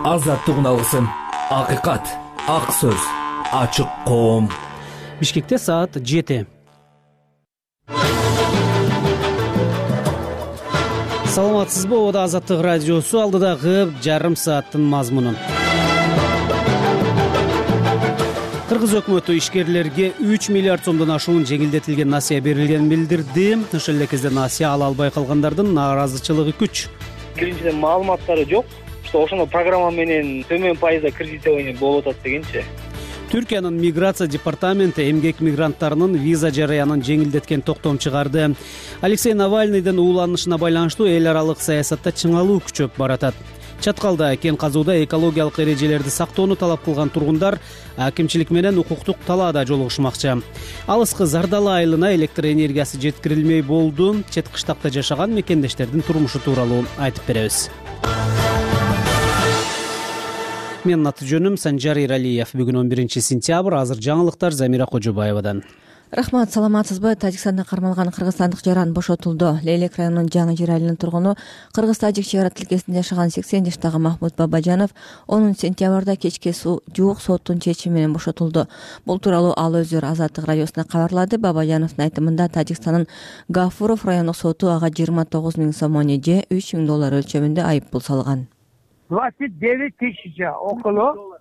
азаттык алгысым, акыйкат, ак сөз, ачык коом. Бишкекте саат 7. Саламатсызбы? Ода Азаттык радиосу алдыдагы жарым сааттын мазмуну. Кыргыз өкмөтү ишкерлерге 3 миллиард сомдон ашуун жеңилдетилген насыя берилгенин билдирди. Ошол эле кезде насыя ала албай калгандардын нааразычылыгы күч. Биринчиден маалыматтары жок. Ошондо программа менен төмөн пайызда кредитование болуп атат дегенчи. Түркиянын миграция департаменти эмгек мигранттарынын виза жараянын жеңилдеткен токтом чыгарды. Алексей Навальныйдын ууланышына байланыштуу эл аралык саясатта чыңалуу күчөп баратат. Чаткалда кен казууда экологиялык эрежелерди сактоону талап кылган тургундар акимчилик менен укуктук талаада жолугушмакчы. Алыскы Зардала айылына электр энергиясы жеткирилмей болду. Чет кыштакта жашаган мекендештердин турмушу тууралуу айтып беребиз. Менин аты жөнүм Санжар Иралиев. Бүгүн 11 сентябрь. Азыр жаңылыктар Замира Кожобаевадан. Рахмат, саламатсызбы? Тажикстанда кармалган кыргызстандык жаран бошотулду. Лейлек районунун Жаңы Жер айылынын тургуну кыргыз-тажик чек ара тилкесинде жашаган 80 жаштагы Махмут Бабажанов 10 сентябрда кечке жуук соттун чечими менен бошотулду. Бул тууралуу ал өзү Азаттык радиосуна кабарлады. Бабажановдун айтымында Тажикстандын Гафуров райондук соту ага 29 000 сомони же $3,000 өлчөмүндө айып пул салган. 29 000 около.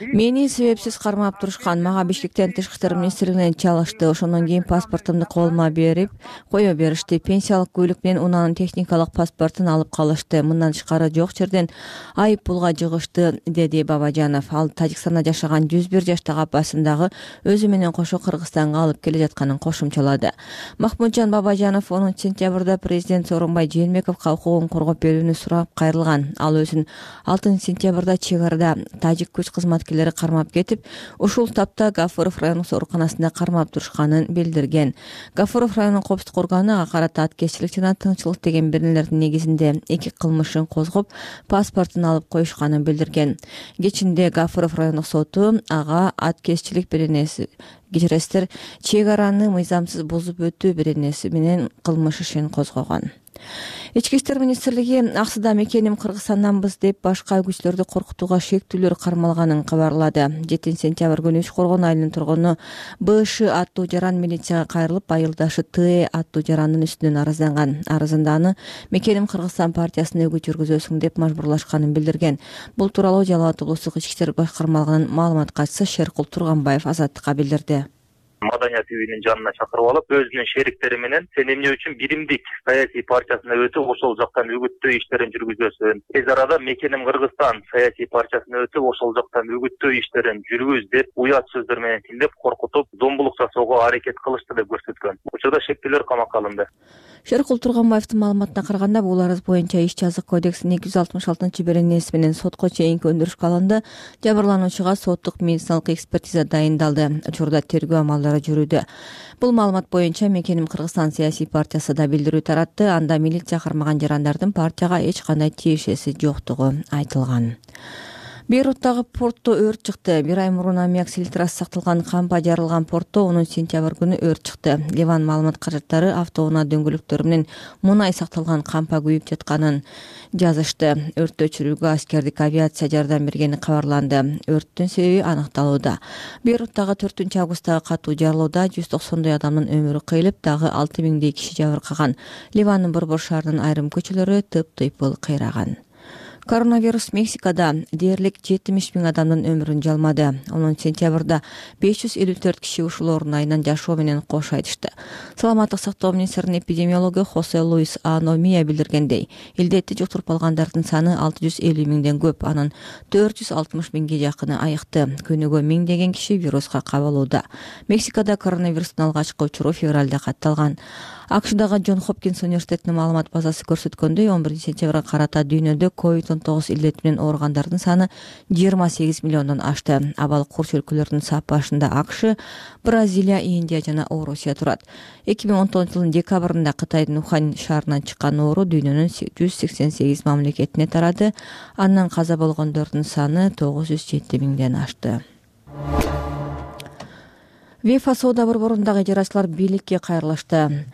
Мени себепсиз кармап турушкан. Мага Бишкектен Тышкы иштер министрлигинен чалышты. Ошондон кийин паспортумду колума берип кое беришти. Пенсиялык күүлүк менен унаанын техникалык паспортун алып калышты. Мындан тышкары жок жерден айып пулга жыгышты, деди Бабажанов. Ал Тажикстанда жашаган 101 жаштагы апасын дагы өзү менен кошо Кыргызстанга алып келе жатканын кошумчалады. Махмутжан Бабажанов 10 сентябрда президент Сооронбай Жээнбековго укугун коргоп берүүнү сурап кайрылган. Ал өзүн 6 сентябрда чек арада тажик күч кызматкерлери кармап кетип, ушул тапта Гафуров райондук ооруканасында кармап турушканын билдирген. Гафуров районунун коопсуздук органы ага карата аткезчилик жана тыңчылык деген беренелердин негизинде 2 кылмышын козгоп, паспортун алып коюшканын билдирген. Кечинде Гафуров райондук соту ага аткезчилик беренеси кечиресиздер, чек араны мыйзамсыз бузуп өтүү беренеси менен кылмыш ишин козгогон. Ички иштер министрлиги аксыда мекеним Кыргызстанданбыз деп башка күчлөрдү коркутууга шектүүлөр кармалганын кабарлады. 7 сентябрь күнү Үч Коргон айылынын тургуну БШ аттуу жаран милицияга кайрылып, айылдашы Т аттуу жарандын үстүнөн арызданган. Арызында аны мекеним Кыргызстан партиясына өгүт жүргүзөсүң деп мажбурлашканын билдирген. Бул тууралуу Жалал Абад облустук ички иштер башкармалыгынын маалымат катчысы Шеркул Турганбаев Азаттыкка билдирди. Маданият үйүнүн жанына чакырып алып, өзүнүн шериктери менен сен эмне үчүн биримдик саясий партиясына өтүп, ошол жактан үгүттөө иштерин жүргүзөсүң. Тез арада мекеним Кыргызстан саясий партиясына өтүп, ошол жактан үгүттөө иштерин жүргүз деп уят сөздөр менен тилдеп коркутуп, зомбулук жасоого аракет кылышты деп көрсөткөн. Учурда шектүүлөр камакка алынды. Шеркул Турганбаевдин маалыматына караганда, бул арыз боюнча иш жазык кодексинин 266 беренеси менен сотко чейинки өндүрүшкө алынды. Жабырлануучуга соттук медициналык экспертиза дайындалды. Учурда тергөө амалдары жүрүүдө. Бул маалымат боюнча мекеним Кыргызстан саясий партиясы да билдирүү таратты. Анда милиция кармаган жарандардын партияга эч кандай тиешеси жоктугу айтылган. Бейруттагы портто өрт чыкты. Бир ай мурун аммиак селитрасы сакталган кампа жарылган портто 10 сентябрь күнү өрт чыкты. Ливан маалымат каражаттары автоунаа дөңгөлөктөрү менен мунай сакталган кампа күйүп жатканын жазышты. Өрттү өчүрүүгө аскердик авиация жардам бергени кабарланды. Өрттүн себеби аныкталууда. Бейруттагы 4 августтагы катуу жарылууда 190 адамдын өмүрү кыйылып, дагы 6000 киши жабыркаган. Ливандын борбор шаарынын айрым көчөлөрү тыптыйпыл кыйраган. Коронавирус Мексикада дээрлик 70 000 адамдын өмүрүн жалмады. 10 сентябрда 554 киши ушул оорунайынан жашоо менен кош айтышты. Саламаттык сактоо министринин эпидемиологу Хосе Луис Аномия билдиргендей, илдетти жуктуруп алгандардын саны 650 000ден көп, анын 460 000ге жакыны айыкты. Күнүгө миңдеген киши вируска кабылууда. Мексикада коронавирустун алгачкы учуру февралда катталган. АКШдагы Джон Хопкинс университетинин маалымат базасы көрсөткөндөй, 11 сентябрга карата дүйнөдө COVID-19 илдети менен ооругандардын саны 28 миллиондон ашты. Абал курч өлкөлөрдүн сапашында АКШ, Бразилия, Индия жана Орусия турат. 2019 декабрында Кытайдын Ухань шаарынан чыккан оору дүйнөнүн 188 мамлекетине тарады. Андан каза болгондордун саны 907 000ден ашты. ВЕФА соода борборундагы ижарачылар бийликке кайрылышты.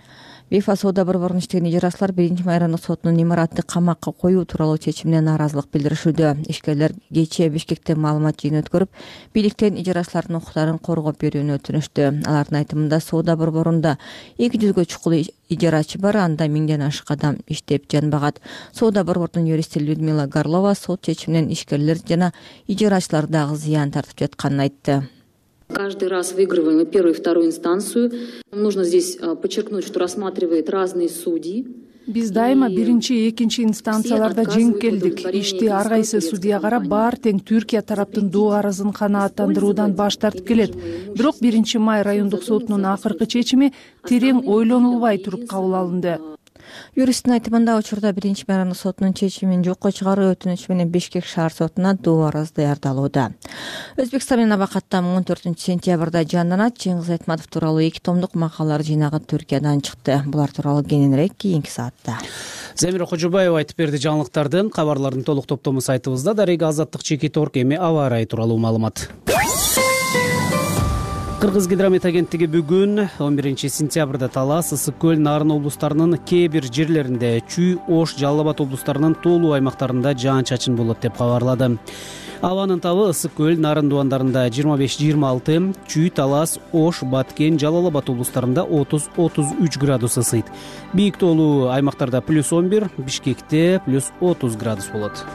ВИФА соода борборунун иштеген ижарачылар 1 райондук сотунун имаратты камакка коюу тууралуу чечимине нааразылык билдиришүүдө. Ишкерлер кечээ Бишкекте маалымат жыйын өткөрүп, бийликтен ижарачылардын укуктарын коргоп берүүнү өтүнүштү. Алардын айтымында соода борборунда 200гө чукул ижарачы бар, анда 1000ден ашык адам иштеп жанбагат. Соода борборунун юристи Людмила Горлова сот чечиминен ишкерлер жана ижарачылар дагы зыян тартып жатканын айтты. Каждый раз выигрываем первую и вторую инстанцию. Нужно здесь подчеркнуть, что рассматривает разные судьи. Биз дайыма биринчи, экинчи инстанцияларда жеңип келдик. Ишти ар кайсы судья карап, баары тең Түркия тараптын доо арызын канааттандыруудан баш тартып келет. Бирок 1 май райондук сотунун акыркы чечими терең ойлонулбай туруп кабыл алынды. Юристтин айтымында учурда 1 май сотунун чечимин жокко чыгаруу өтүнүчү менен Бишкек шаар сотуна доо арыз даярдалууда. Өзбекстан менен абакаттан 14 сентябрда жанданат Чыңгыз Айтматов тууралуу 2 томдук макалалар жыйнагы Түркиядан чыкты. Булар тууралуу кененирээк кийинки саатта. Замира Кожобаева айтып берди жаңылыктардын. Кабарлардын толук топтому сайтыбызда. Дарега Азаттык Чекит.орг эми аба ырайы тууралуу маалымат. Кыргыз гидромет агенттиги бүгүн 11 сентябрда Талас, Ысык көл, Нарын облустарынын кээ бир жерлеринде, Чүй, Ош, Жалал Абад облустарынын тоолуу аймактарында жаан-чачын болот деп кабарлады. Абанын табы Ысык көл, Нарын дубандарында 25-26, Чүй, Талас, Ош, Баткен, Жалал Абад облустарында 30-33 градус ысыйт. Бийик тоолуу аймактарда +11, Бишкекте +30 градус болот.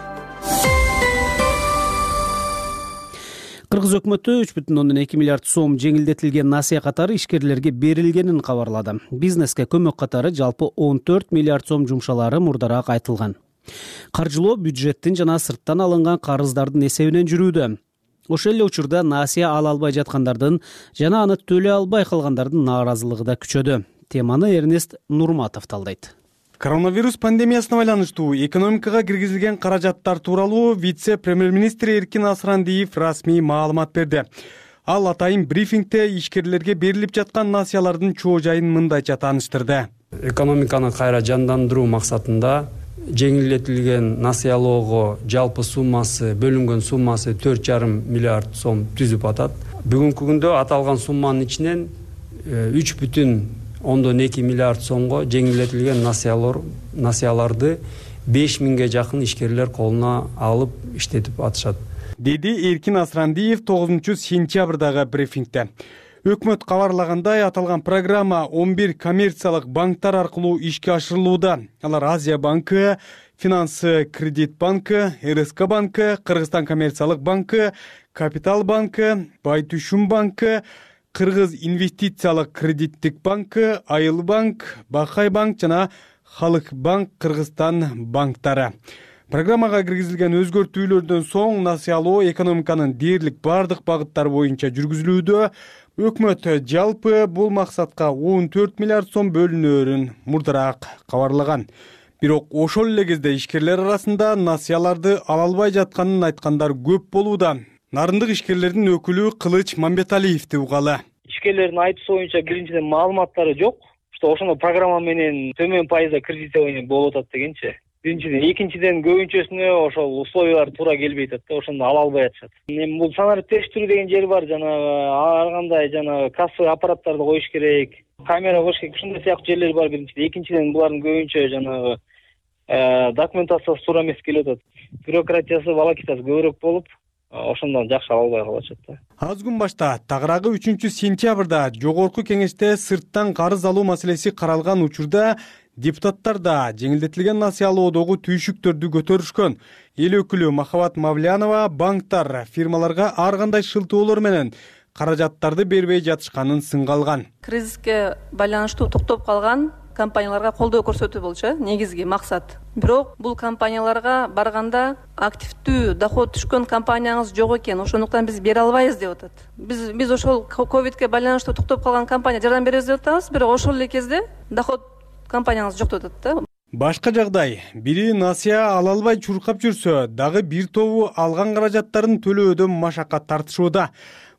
Кыргыз өкмөтү 3,2 миллиард сом жеңилдетилген насыя катары ишкерлерге берилгенин кабарлады. Бизнеске көмөк катары жалпы 14 миллиард сом жумшалары мурдараак айтылган. Каржылоо бюджеттин жана сырттан алынган карыздардын эсебинен жүрүүдө. Ошол эле учурда насыя ала албай жаткандардын жана аны төлөй албай калгандардын нааразылыгы да күчөдү. Теманы Эрнест Нурматов талдайт. Коронавирус пандемиясына байланыштуу экономикага киргизилген каражаттар тууралуу вице-премьер-министр Эркин Асрандиев расмий маалымат берди. Ал атайын брифингде ишкерлерге берилип жаткан насыялардын чоо жайын мындайча тааныштырды. Экономиканы кайра жандандыруу максатында жеңилдетилген насыялоого жалпы суммасы, бөлүнгөн суммасы 4,5 миллиард сом түзүп атат. Бүгүнкү күндө аталган сумманын ичинен 3,2 миллиард сомго жеңилдетилген насыяларды 5000ге жакын ишкерлер колуна алып иштетип атышат, деди Эркин Асрандиев 9 сентябрдагы брифингде. Өкмөт кабарлагандай, аталган программа 11 коммерциялык банктар аркылуу ишке ашырылууда. Алар Азия банкы, Финанс Кредит банкы, РСК банкы, Кыргызстан коммерциялык банкы, Капитал банкы, Байтүшүм банкы, Кыргыз инвестициялык кредиттик банкы, Айыл банк, Бакай банк жана Халык банк Кыргызстан банктары. Программага киргизилген өзгөртүүлөрдөн соң насыялоо экономиканын дээрлик бардык багыттары боюнча жүргүзүлүүдө. Өкмөт жалпы бул максатка 14 миллиард сом бөлүнөөрүн мурдараак кабарлаган. Бирок ошол эле кезде ишкерлер арасында насыяларды ала албай жатканын айткандар көп болууда. Нарындык ишкерлердин өкүлү Кылыч Мамбеталиевди угалы. Ишкерлердин айтуусу боюнча биринчиден маалыматтары жок, что ошондо программа менен төмөн пайызда кредитование болуп атат дегенчи. Биринчиден, экинчиден көбүнчөсүнө ошол условиялар туура келбей атат да, ошондо ала албай атышат. Эми бул санарип тештирүү деген жери бар, жанагы ар кандай жанагы кассовый аппараттарды коюш керек, камера коюш керек, ушундай сыяктуу жерлер бар биринчиден. Экинчиден, булардын көбүнчө жанагы документациясы туура эмес келип атат. Бюрократиясы балакитасы көбүрөөк болуп, ошондон жакшы ала албай калышат да. Аз күн башта тагыраагы 3 сентябрда жогорку кеңеште сырттан карыз алуу маселеси каралган учурда депутаттар да жеңилдетилген насыялоодогу түйшүктөрдү көтөрүшкөн. Эл өкүлү Махабат Мавлянова банктар фирмаларга ар кандай шылтоолор менен каражаттарды бербей жатышканын сынга алган. Кризиске байланыштуу токтоп калган компанияларга колдоо көрсөтүү болчу негизги максат. Бирок бул компанияларга барганда активдүү доход түшкөн компанияңыз жок экен, ошондуктан биз бере албайбыз деп атат. Биз ошол ковидке байланыштуу токтоп калган компания жардам беребиз деп атабыз, бирок ошол эле кезде доход компанияңыз жок деп атат да. Башка жагдай, бири насыя ала албай чуркап жүрсө, дагы бир тобу алган каражаттарын төлөөдөн машакат тартышууда.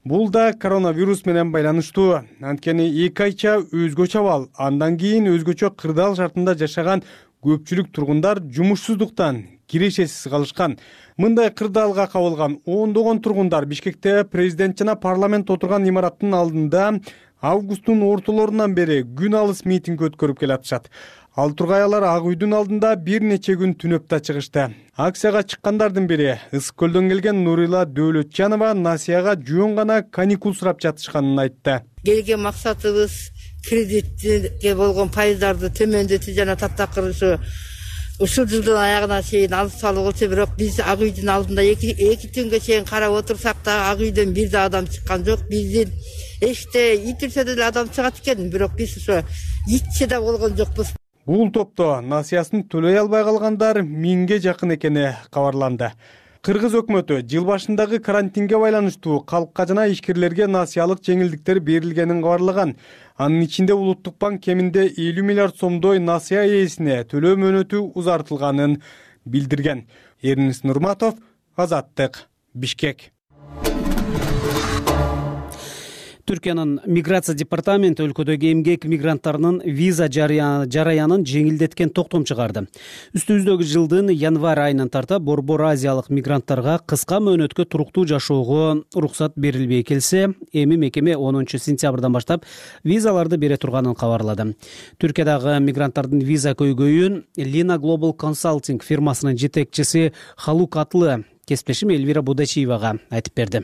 Бул да коронавирус менен байланыштуу. Анткени 2 айча өзгөчө абал, андан кийин өзгөчө кырдаал шартында жашаган көпчүлүк тургундар жумушсуздуктан кирешесиз калышкан. Мындай кырдаалга кабылган ондогон тургундар Бишкекте президент жана парламент отурган имараттын алдында августтун ортолорунан бери күн алыс митинг өткөрүп келатышат. Ал тургай Ак үйдүн алдында бир нече күн түнөп да чыгышты. Акцияга чыккандардын бири Ысык көлдөн келген Нурила Дөөлөтжанова Насияга жөн гана каникул сурап жатышканын айтты. Келген максатыбыз кредитке болгон пайыздарды төмөндөтүү жана таптакыр ушул жылдын аягына чейин алып салуу болчу. Бирок биз Ак үйдүн алдында эки түнгө чейин карап отурсак да Ак үйдөн бир да адам чыккан жок. Биздин эшикте итирсе деле адам чыгат экен, бирок биз ошо итче да болгон жокпуз. Бул топто насыясын төлөй албай калгандар 1000ге жакын экени кабарланды. Кыргыз өкмөтү жыл башындагы карантинге байланыштуу калкка жана ишкерлерге насыялык жеңилдиктер берилгенин кабарлаган. Анын ичинде Улуттук банк кеминде 50 миллиард сомдой насыя ээсине төлөө мөөнөтү узартылганын билдирген. Эрнис Нурматов, Азаттык, Бишкек. Түркиянын миграция департаменти өлкөдөгү эмгек мигранттарынын виза жараянын жеңилдеткен токтом чыгарды. Үстүбүздөгү жылдын январь айынан тарта Борбор Азиялык мигранттарга кыска мөөнөткө туруктуу жашоого уруксат берилбей келсе, эми мекеме 10 сентябрдан баштап визаларды бере турганын кабарлады. Түркиядагы мигранттардын виза көйгөйүн Lina Global Consulting фирмасынын жетекчиси Халук Атлы кесиптешим Эльвира Будачиевага айтып берди.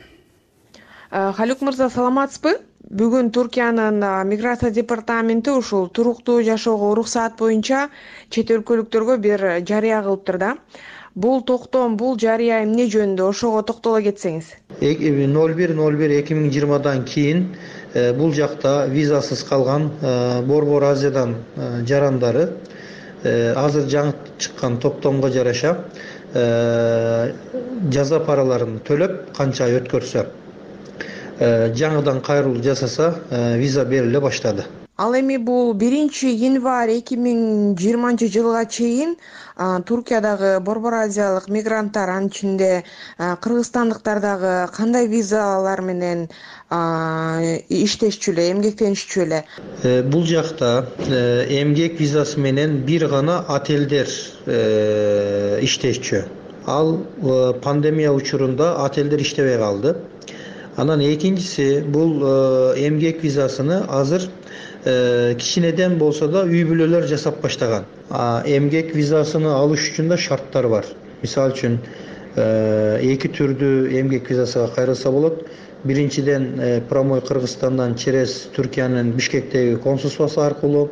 Халук мырза, саламатсызбы? Бүгүн Түркиянын миграция департаменти ушул туруктуу жашоого уруксаат боюнча чет өлкөлүктөргө бир жарыя кылыптыр да. Бул токтом, бул жарыя эмне жөнүндө, ошого токтоло кетсеңиз. 01/01/2020дан кийин бул жакта визасыз калган Борбор Азиядан жарандары азыр жаңы чыккан токтомго жараша жаза параларын төлөп канча ай өткөрсө жаңыдан кайрылуу жасаса виза бериле баштады. Ал эми бул 1-январь 2020 жылга чейин Түркиядагы Борбор Азиялык мигранттар, анын ичинде кыргызстандыктар дагы кандай визалар менен иштешчү эле, эмгектенишчү эле? Бул жакта эмгек визасы менен бир гана отелдер иштешчү. Ал пандемия учурунда отелдер иштебей калды. Анан экинчиси бул эмгек визасыны азыр кичинеден болсо да үй бүлөлөр жасап баштаган. Эмгек визасыны алыш үчүн да шарттар бар. Мисалы үчүн эки түрдүү эмгек визасына кайрылса болот. Биринчиден прямой Кыргызстандан через Түркиянын Бишкектеги консулствосу аркылуу,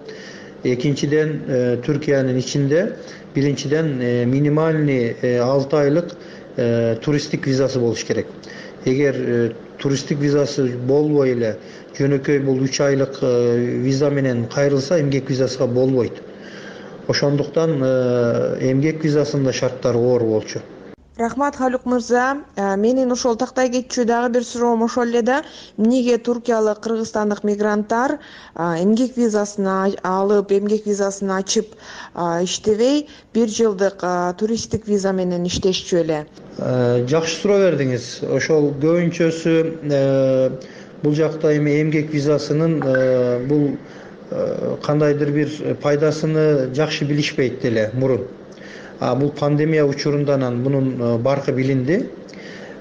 экинчиден Түркиянын ичинде биринчиден минимальный 6 айлык туристтик визасы болуш керек. Эгер туристтик визасы болбой эле жөнөкөй бул 3 айлык виза менен кайрылса эмгек визасына болбойт. Ошондуктан эмгек визасында шарттары оор болчу. Рахмат, Халук мырза. Менин ошол тактай кетчү дагы бир суроом ошол эле да. Эмнеге туркиялык, кыргызстандык мигранттар эмгек визасын алып, эмгек визасын ачып иштебей, 1 жылдык туристтик виза менен иштешчү эле? Жакшы суроо бердиңиз. Ошол көбүнчөсү бул жакта эми эмгек визасынын бул кандайдыр бир пайдасыны жакшы билишпейт деле мурун. Бул пандемия учурундан бунун баркы билинди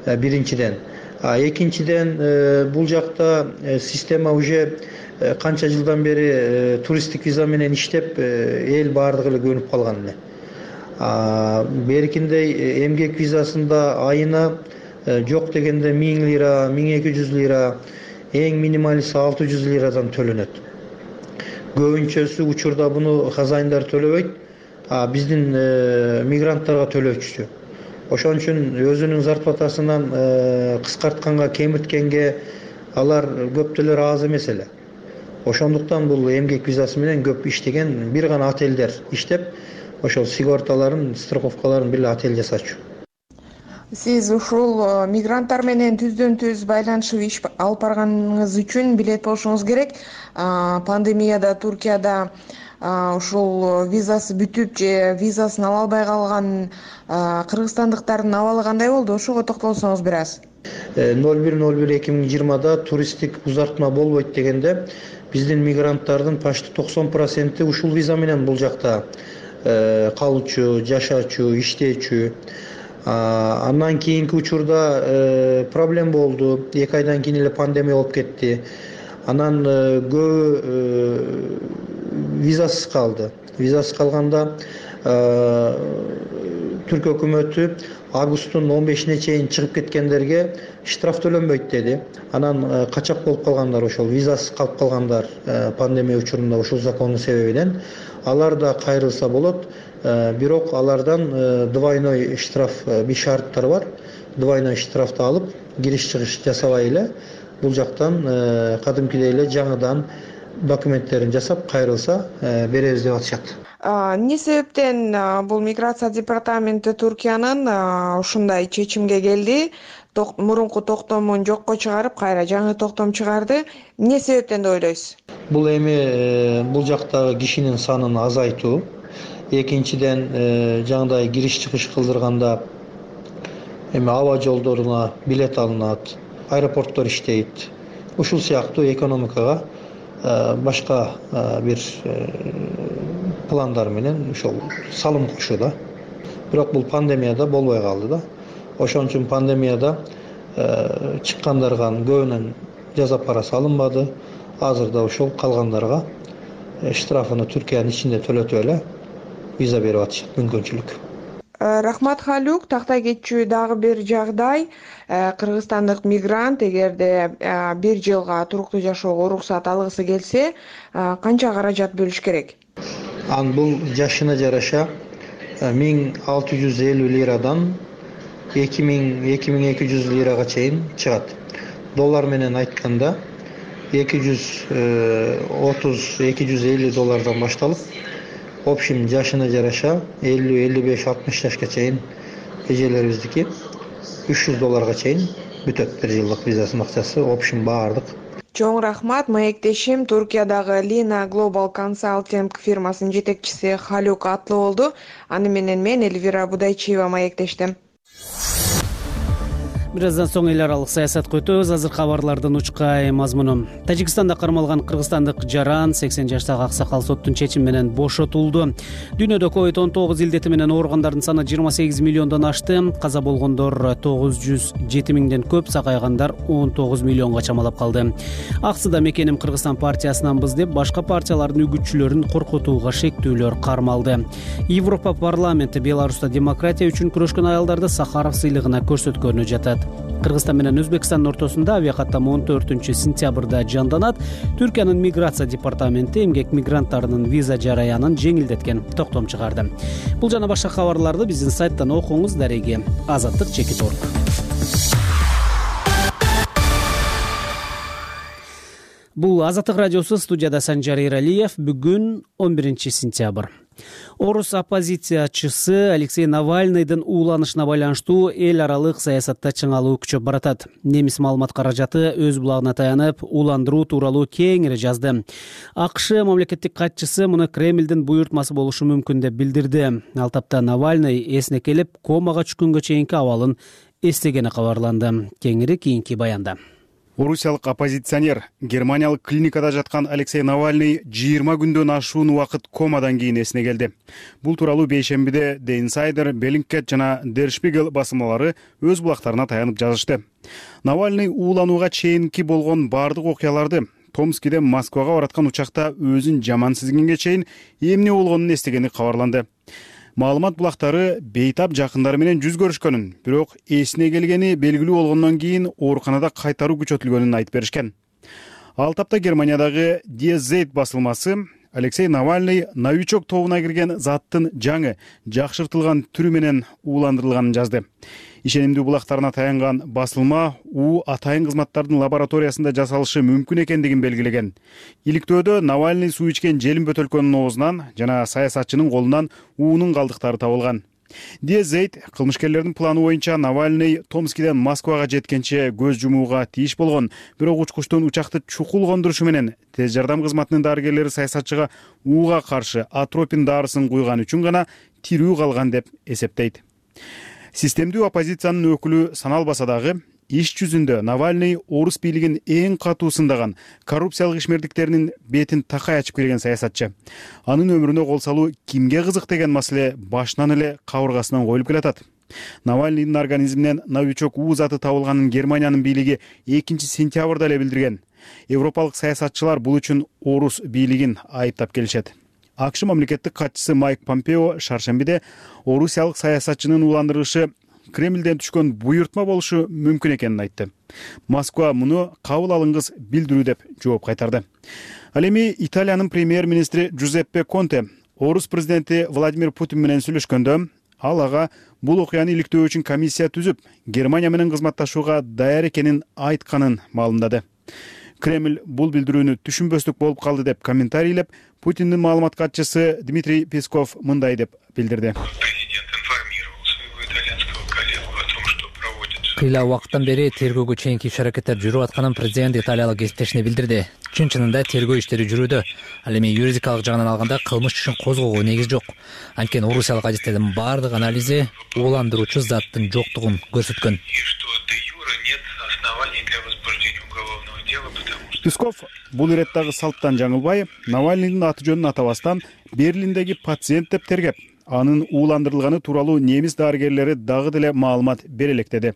биринчиден. Экинчиден бул жакта система уже канча жылдан бери туристтик виза менен иштеп эл баардыгы эле көнүп калган эле. Беркиндей эмгек визасында айына жок дегенде 1000 лира, 1200 лира, эң минималиси 600 лирадан төлөнөт. Көбүнчөсү учурда буну хазайындар төлөбөйт, биздин мигранттарга төлөчү. Ошон үчүн өзүнүн зарплатасынан кыскартканга, кемирткенге алар көптөлөр аз эмес эле. Ошондуктан бул эмгек визасы менен көп иштеген бир гана отелдер иштеп, ошол сигорталарын, страховкаларын бир отель жасачу. Сиз ушул мигранттар менен түздөн-түз байланышып иш алып барганыңыз үчүн билет болушуңуз керек. Пандемияда Түркияда ушул визасы бүтүп же визасын ала албай калган кыргызстандыктардын абалы кандай болду? Ошого токтолсоңуз бир аз. 01/01/2020да туристтик узартма болбойт дегенде биздин мигранттардын почти 90% ушул виза менен бул жакта калуучу, жашачу, иштечү. Андан кийинки учурда проблем болду. 2 айдан кийин эле пандемия болуп кетти. Анан көбү визасыз калды. Визасыз калганда Түркия өкмөтү августтун 15-ине чейин чыгып кеткендерге штраф төлөнбөйт деди. Анан качак болуп калгандар, ошол визасыз калып калгандар пандемия учурунда ушул закондун себебинен алар да кайрылса болот. Бирок алардан двойной штраф бир шарттар бар. Двойной штрафты алып, кириш-чыгыш жасабай эле бул жактан кадимкидей эле жаңыдан документтерин жасап кайрылса беребиз деп атышат. Эмне себептен бул миграция департаменти Туркиянын ушундай чечимге келди? Мурунку токтомун жокко чыгарып, кайра жаңы токтом чыгарды. Эмне себептен деп ойлойсуз? Бул эми бул жактагы кишинин санын азайтуу. Экинчиден жаңыдай кириш-чыгыш кылдырганда эми аба жолдоруна билет алынат, аэропорттор иштейт. Ушул сыяктуу экономикага башка бир пландар менен ошол салым кошууда. Бирок бул пандемияда болбой калды да. Ошон үчүн пандемияда чыккандарга көбүнөн жаза парасы алынбады. Азырда ошол калгандарга штрафыны Түркиянын ичинде төлөтүп эле виза берип атышат, мүмкүнчүлүк. Рахмат Халюк, тактай кетчү дагы бир жагдай. Кыргызстандык мигрант эгерде бир жылга туруктуу жашоого уруксат алгысы келсе, канча каражат бөлүш керек? Бул жашына жараша 1650 лирадан 2200 лирага чейин чыгат. Доллар менен айтканда 230-250 доллардан башталып, общем жашына жараша 50-55-60 жашка чейин эжелерибиздики 300 долларга чейин бүтөт бир жылдык визасынын акчасы, общем баардык. Чоң рахмат. Маектешим Туркиядагы Lina Global Consulting фирмасынын жетекчиси Халюк аттуу болду. Аны менен мен Эльвира Будайчиева маектештим. Бир аздан соң эл аралык саясатка өтөбүз. Азыр кабарлардын учкай мазмуну. Тажикстанда кармалган кыргызстандык жаран 80 жаштагы аксакал соттун чечими менен бошотулду. Дүйнөдө COVID-19 илдети менен ооругандардын саны 28 миллиондон ашты. Каза болгондор 907 миңден көп, сакайгандар 19 миллионго чамалап калды. Аксыда мекеним Кыргызстан партиясынанбыз деп башка партиялардын үгүтчүлөрүн коркутууга шектүүлөр кармалды. Европа парламенти Беларуста демократия үчүн күрөшкөн аялдарды Сахаров сыйлыгына көрсөткөнү жатат. Кыргызстан менен Өзбекстандын ортосунда авиакаттама 14-сентябрда жанданат. Түркиянын миграция департаменти эмгек мигранттарынын виза жараянын жеңилдеткен токтом чыгарды. Бул жана башка кабарларды биздин сайттан окуңуз. Дареги Азаттык.org. Бул Азаттык радиосу, студияда Санжар Эралиев. Бүгүн 11-сентябрь. Орус оппозициячысы Алексей Навальныйдын ууланышына байланыштуу эл аралык саясатта чыңалуу күчөп баратат. Немис маалымат каражаты өз булагына таянып, ууландыруу тууралуу кеңири жазды. АКШ мамлекеттик катчысы муну Кремлдин буйртмасы болушу мүмкүн деп билдирди. Ал тапта Навальный эсине келип, комага түшкөнгө чейинки абалын эстегени кабарланды. Кеңири кийинки баянда. Орусиялык оппозиционер Германиялык клиникада жаткан Алексей Навальный 20 күндөн ашуун убакыт комадан кийин эсине келди. Бул тууралуу бейшембиде The Insider, Bellingcat жана Der Spiegel басылмалары өз булактарына таянып жазышты. Навальный ууланууга чейинки болгон бардык окуяларды, Томскиден Москвага бараткан учакта өзүн жаман сезгенге чейин эмне болгонун эстегени кабарланды. Маалымат булактары бейтап жакындары менен жүз көрүшкөнүн, бирок эсине келгени белгилүү болгондон кийин ооруканада кайтаруу күчөтүлгөнүн айтып беришкен. Ал тапта Германиядагы Die Zeit басылмасы Алексей Навальный новичок тобуна кирген заттын жаңы, жакшыртылган түрү менен ууландырылганын жазды. Ишенимдүү булактарына таянган басылма атайын кызматтардын лабораториясында жасалышы мүмкүн экендигин белгилеген. Иликтөөдө Навальный суу ичкен желим бөтөлкөнүн оозунан жана саясатчынын колунан уунун калдыктары табылган. Die Zeit кылмышкерлердин планы боюнча Навальный Томскиден Москвага жеткенче көз жумууга тийиш болгон, бирок учкучтун учакты чукул кондурушу менен тез жардам кызматынын дарыгерлери саясатчыга ууга каршы атропин дарысын куйган үчүн гана тирүү калган деп эсептейт. Системдүү оппозициянын өкүлү саналбаса дагы, иш жүзүндө Навальный орус бийлигин эң катуу сындаган, коррупциялык ишмердиктеринин бетин такай ачып келген саясатчы. Анын өмүрүнө кол салуу кимге кызык деген маселе башынан эле кабыргасынан коюлуп келатат. Навальныйдын организминен новичок заты табылганын Германиянын бийлиги 2-сентябрда эле билдирген. Европалык саясатчылар бул үчүн орус бийлигин айыптап келишет. АКШ мамлекеттик катчысы Майк Помпео шаршембиде орусиялык саясатчынын уландырышы Кремлден түшкөн буйртма болушу мүмкүн экенин айтты. Москва муну кабыл алыңыз билдирүү деп жооп кайтарды. Ал эми Италиянын премьер-министри Джузеппе Конте орус президенти Владимир Путин менен сүйлөшкөндө ал ага бул окуяны иликтөө үчүн комиссия түзүп, Германия менен кызматташууга даяр экенин айтканын маалымдады. Кремль бул билдирүүнү түшүнбөстүк болуп калды деп комментарийлеп, Путиндин маалымат катчысы Дмитрий Песков мындай деп билдирди. Кыйла убакыттан бери тергөөгө чейинки иш-аракеттер жүрүп атканын президент италиялык кесиптешине билдирди. Чын-чынында тергөө иштери жүрүүдө. Ал эми юридикалык жагынан алганда кылмыш ишин козгоого негиз жок. Анткени орусиялык адистердин бардык анализи ууландыруучу заттын жоктугун көрсөткөн. Песков бул иреттагы салттан жаңылбай, Навальныйдын аты жөнүн атабастан Берлиндеги пациент деп тергеп, анын ууландырылганы тууралуу немис дарыгерлери дагы деле маалымат бере электеди.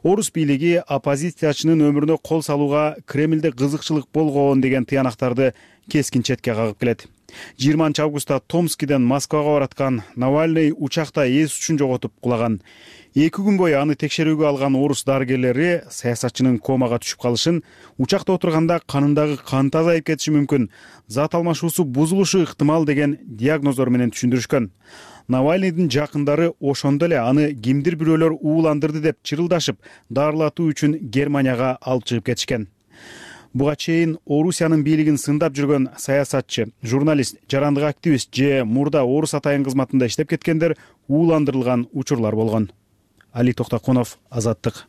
Орус бийлиги оппозициячынын өмүрүнө кол салууга Кремлде кызыкчылык болгон деген тыянактарды кескин четке кагып келет. 20 августта Томскиден Москвага бараткан Навальный учакта эс үчүн жоготуп кулаган. 2 күн бою аны текшерүүгө алган орус дарыгерлери саясатчынын комага түшүп калышын, учакта отурганда канындагы кант азайып кетиши мүмкүн, зат алмашуусу бузулушу ыктымал деген диагноздор менен түшүндүрүшкөн. Навальныйдын жакындары ошондо эле аны кимдир бирөөлөр ууландырды деп чырылдашып, дарылатуу үчүн Германияга алып чыгып кетишкен. Буга чейин Орусиянын бийлигин сындап жүргөн саясатчы, журналист, жарандык активист же мурда орус атайын кызматында иштеп кеткендер ууландырылган учурлар болгон. Али Токтоконов, Азаттык.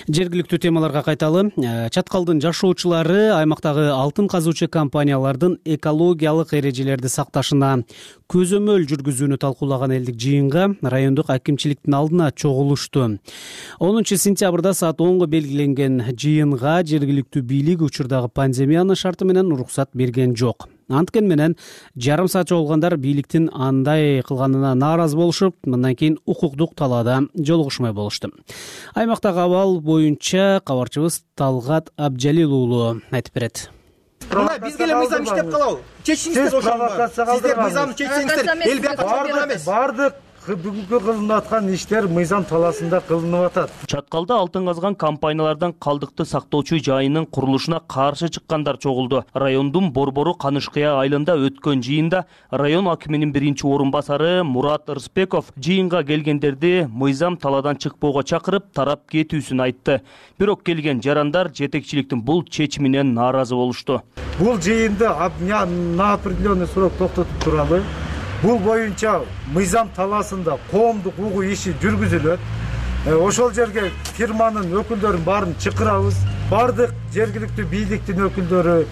Жергиликтүү темаларга кайталы. Чаткалдын жашоочулары аймактагы алтын казуучу компаниялардын экологиялык эрежелерди сакташына көзөмөл жүргүзүүнү талкуулаган элдик жыйынга райондук акимчиликтин алдына чогулушту. 10 сентябрда саат 10го белгиленген жыйынга жергиликтүү бийлик учурдагы пандемиянын шарты менен уруксат берген жок. Анткени менен жарым саат чогулгандар бийликтин андай кылганына нааразы болушуп, мындан кийин укуктук талаада жолугушмай болушту. Аймактагы абал боюнча кабарчыбыз Талгат Абжалил айтып берет. Бизге эле мыйзам иштеп калабы? Чечиңиздер ошону. Сиздер мыйзамды чечсеңиздер, эл бияка бере эмес. Бардык бүгүнкү кылынып аткан иштер мыйзам талаасында кылынып атат. Чаткалда алтын казган компаниялардан калдыкты сактоочу жайынын курулушуна каршы чыккандар чогулду. Райондун Борбору Канышкыя айылында өткөн жыйында район акиминин биринчи орун басары Мурат Ырысбеков жыйынга келгендерди мыйзам талаадан чыкпоого чакырып, тарап кетүүсүн айтты. Бирок келген жарандар жетекчиликтин бул чечиминен нааразы болушту. Бул жыйынды на определенный срок токтотуп туралы. Бул боюнча мыйзам талаасында коомдук угуу иши жүргүзүлөт. Ошол жерге фирманын өкүлдөрүн баарын чакырабыз. Бардык жергиликтүү бийликтин өкүлдөрү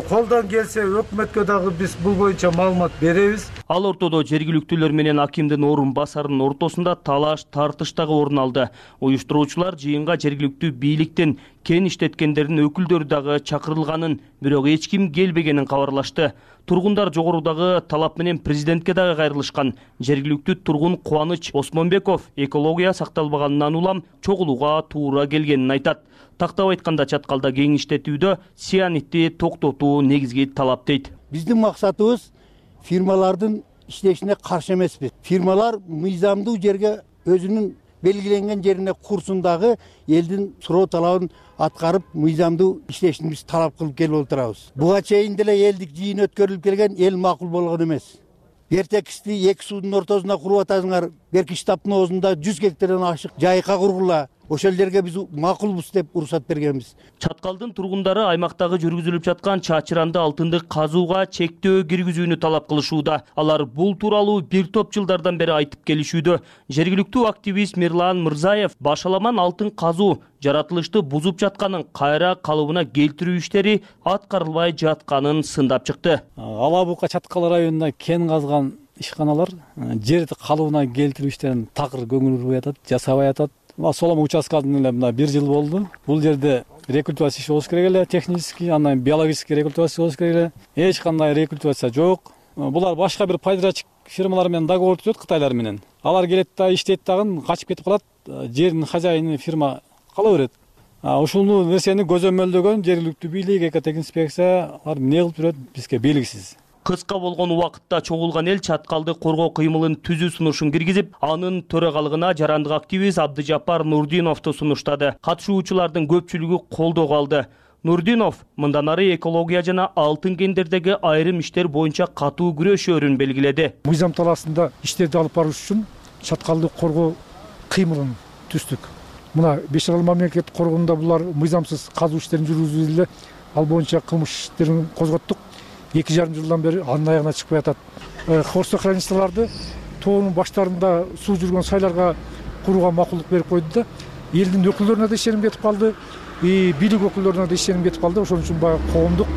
колдон келсе өкмөткө дагы биз бул боюнча маалымат беребиз. Ал ортодо жергиликтүүлөр менен акимдин орун басарынын ортосунда талаш тартыш дагы орун алды. Уюштуруучулар жыйынга жергиликтүү бийликтин кен иштеткендердин өкүлдөрү дагы чакырылганын, бирок эч ким келбегенин кабарлашты. Тургундар жогорудагы талап менен президентке дагы кайрылышкан. Жергиликтүү тургун Кубаныч Осмонбеков экология сакталбаганынан улам чогулууга туура келгенин айтат. Тактап айтканда чаткалда кеңиштетүүдө сианитти токтотуу негизги талап дейт. Биздин максатыбыз фирмалардын иштешине каршы эмеспиз. Фирмалар мыйзамдуу жерге өзүнүн белгиленген жерине курсун дагы элдин суроо талабын аткарып, мыйзамдуу иштешин биз талап кылып келип отурабыз. Буга чейин деле элдик жыйын өткөрүлүп келген, эл макул болгон эмес. Эртекисти эки суудун ортосунда куруп атасыңар, берки штабтын оозунда 100 гектардан ашык жайка кургула. Ошол жерге биз макулбуз деп уруксат бергенбиз. Чаткалдын тургундары аймактагы жүргүзүлүп жаткан чачыранды алтынды казууга чектөө киргизүүнү талап кылышууда. Алар бул тууралуу бир топ жылдардан бери айтып келишүүдө. Жергиликтүү активист Мирлан Мырзаев башаламан алтын казуу жаратылышты бузуп жатканын, кайра калыбына келтирүү иштери аткарылбай жатканын сындап чыкты. Ала бука Чаткал районунда кен казган ишканалар жерди калыбына келтирүү иштерин такыр көңүл бурбай атат, жасабай атат. Солома участкасында эле мына 1 жыл болду. Бул жерде рекультивация иши болуш керек эле, технический, андан биологический рекультивация болуш керек эле. Эч кандай рекультивация жок. Булар башка бир пайдачы фирмалар менен договор түзөт, кытайлар менен. Алар келет да иштейт дагы качып кетип калат. Жердин хозяйыны фирма кала берет. ушул нерсени көзөмөлдөгөн жергиликтүү бийлик, экотехинспекция эмне кылып жүрөт бизге белгисиз. Кыска болгон убакытта чогулган эл чаткалды коргоо кыймылын түзүү сунушун киргизип, анын төрагалыгына жарандык активист Абдыжаппар Нурдиновду сунуштады. Катышуучулардын көпчүлүгү колдоо алды. Нурдинов мындан ары экология жана алтын кендердеги айрым иштер боюнча катуу күрөшөөрүн белгиледи. Мыйзам талаасында иштерди алып барыш үчүн чаткалды коргоо кыймылын түздүк. Мына Беш Арал мамлекеттик коргоонунда булар мыйзамсыз казуу иштерин жүргүзүүдө эле ал боюнча кылмыш иштерин козготтук. 2,5 жылдан бери анын аягына чыкпай атат. Хвостохранисталарды тоонун баштарында суу жүргөн сайларга курууга макулдук берип койду да, элдин өкүлдөрүнө да ишеним кетип калды, бийлик өкүлдөрүнө да ишеним кетип калды. Ошон үчүн баягы коомдук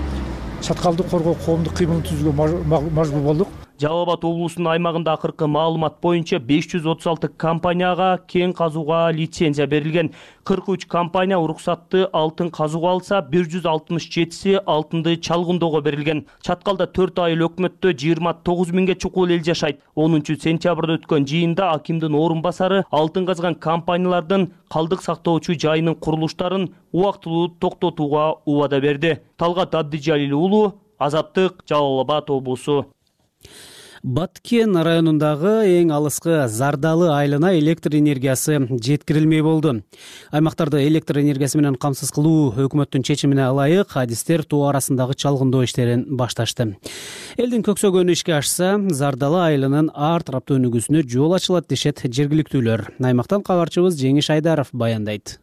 чаткалды коргоо коомдук кыймылын түзүүгө мажбур болдук. Жалал Абад облусунун аймагында акыркы маалымат боюнча 536 компанияга кен казууга лицензия берилген. 43 компания уруксатты алтын казууга алса, 167си алтынды чалгындоого берилген. Чаткалда 4 айыл өкмөттө 29 миңге чукул эл жашайт. 10-сентябрда өткөн жыйында акимдин орун басары алтын казган компаниялардын калдык сактоочу жайынын курулуштарын убактылуу токтотууга убада берди. Талгат Абдыжалил уулу, Азаттык, Жалал Абад облусу. Баткен районундагы эң алыскы Зардалы айылына электр энергиясы жеткирилмей болду. Аймактарды электр энергиясы менен камсыз кылуу өкмөттүн чечимине ылайык адистер тоо арасындагы чалгындоо иштерин башташты. Элдин көксөгөнү ишке ашса, Зардалы айылынын ар тараптуу өнүгүүсүнө жол ачылат дешет жергиликтүүлөр. Аймактан кабарчыбыз Жеңиш Айдаров баяндайт.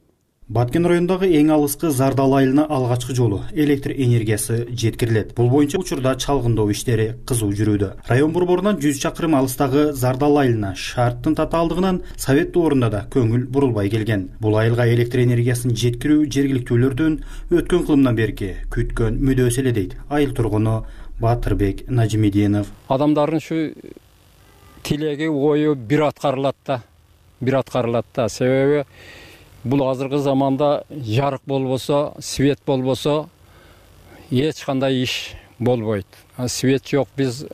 Баткен районундагы эң алыскы Зардалы айылына алгачкы жолу электр энергиясы жеткирилет. Бул боюнча учурда чалгындоо иштери кызуу жүрүүдө. Район борборунан 100 чакырым алыстагы Зардалы айылына шарттын татаалдыгынан совет доорунда да көңүл бурулбай келген. Бул айылга электр энергиясын жеткирүү жергиликтүүлөрдүн өткөн кылымдан берки күткөн мүдөөсү эле дейт айыл тургуну Батырбек Нажимидинов. Адамдардын ушу тилеги, ою бир аткарылат да. Себеби бул азыркы заманда жарык болбосо, свет болбосо эч кандай иш болбойт. Свет жок, биз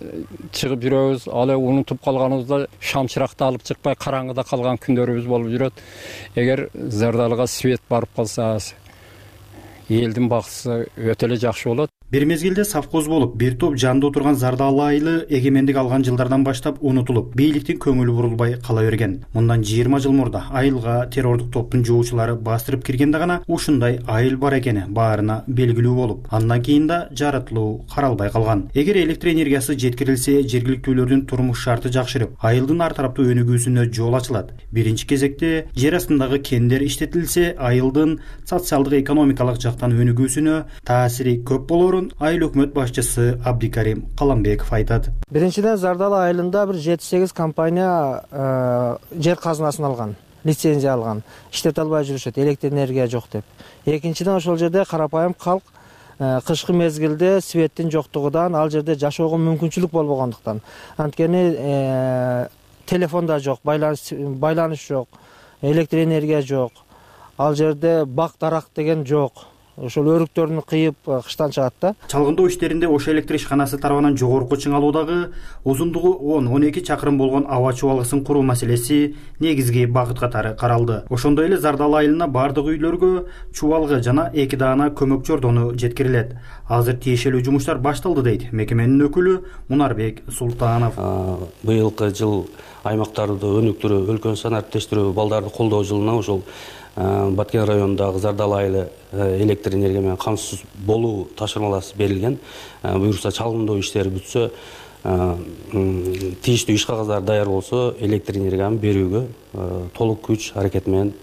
чыгып жүрөбүз, ал унутуп калганыбызда шамчыракты алып чыкпай караңгыда калган күндөрүбүз болуп жүрөт. Эгер Зардалыга свет барып калса, элдин бакысы өтө эле жакшы болот. Бир мезгилде совхоз болуп, бир топ жанды отурган Зардалы айылы эгемендик алган жылдардан баштап унутулуп, бийликтин көңүлү бурулбай кала берген. Мындан 20 жыл мурда айылга террордук топтун жоочулары бастырып киргенде гана ушундай айыл бар экени баарына белгилүү болуп, андан кийин да жаратылуу каралбай калган. Эгер электр энергиясы жеткирилсе, жергиликтүүлөрдүн турмуш шарты жакшырып, айылдын ар тараптуу өнүгүүсүнө жол ачылат. Биринчи кезекте жер астындагы кендер иштетилсе, айылдын социалдык экономикалык жактан өнүгүүсүнө таасири көп болорун айыл өкмөт башчысы Абдикарим Каламбеков айтат. Биринчиден Зардалы айылында бир 7-8 компания жер казынасын алган, лицензия алган, иштете албай жүрүшөт, электр энергия жок деп. Экинчиден ошол жерде карапайым калк кышкы мезгилде светтин жоктугунан ал жерде жашоого мүмкүнчүлүк болбогондуктан, анткени телефон да жок, байланыш жок, электр энергия жок, ал жерде бак дарак деген жок. Ошол өрүктөрүн кыйып кыштан чыгат да. Чалгындоо иштеринде Ош электр ишканасы тарабынан жогорку чыңалуудагы узундугу 10-12 чакырым болгон аба чубалгысын куруу маселеси негизги багыт катары каралды. Ошондой эле Зардалы айылына бардык үйлөргө чубалгы жана 2 даана көмөк жордону жеткирилет. Азыр тиешелүү жумуштар башталды дейт мекеменин өкүлү Мунарбек Султанов. Быйылкы жыл аймактарды өнүктүрүү, өлкөнү санариптештирүү, балдарды колдоо жылына ошол Баткен районундагы Зардалы айылы электр энергия менен камсыз болуу тапшырмаласы берилген. Буюрса чалгындоо иштери бүтсө, тийиштүү иш кагаздары даяр болсо, электр энергияны берүүгө толук күч аракет менен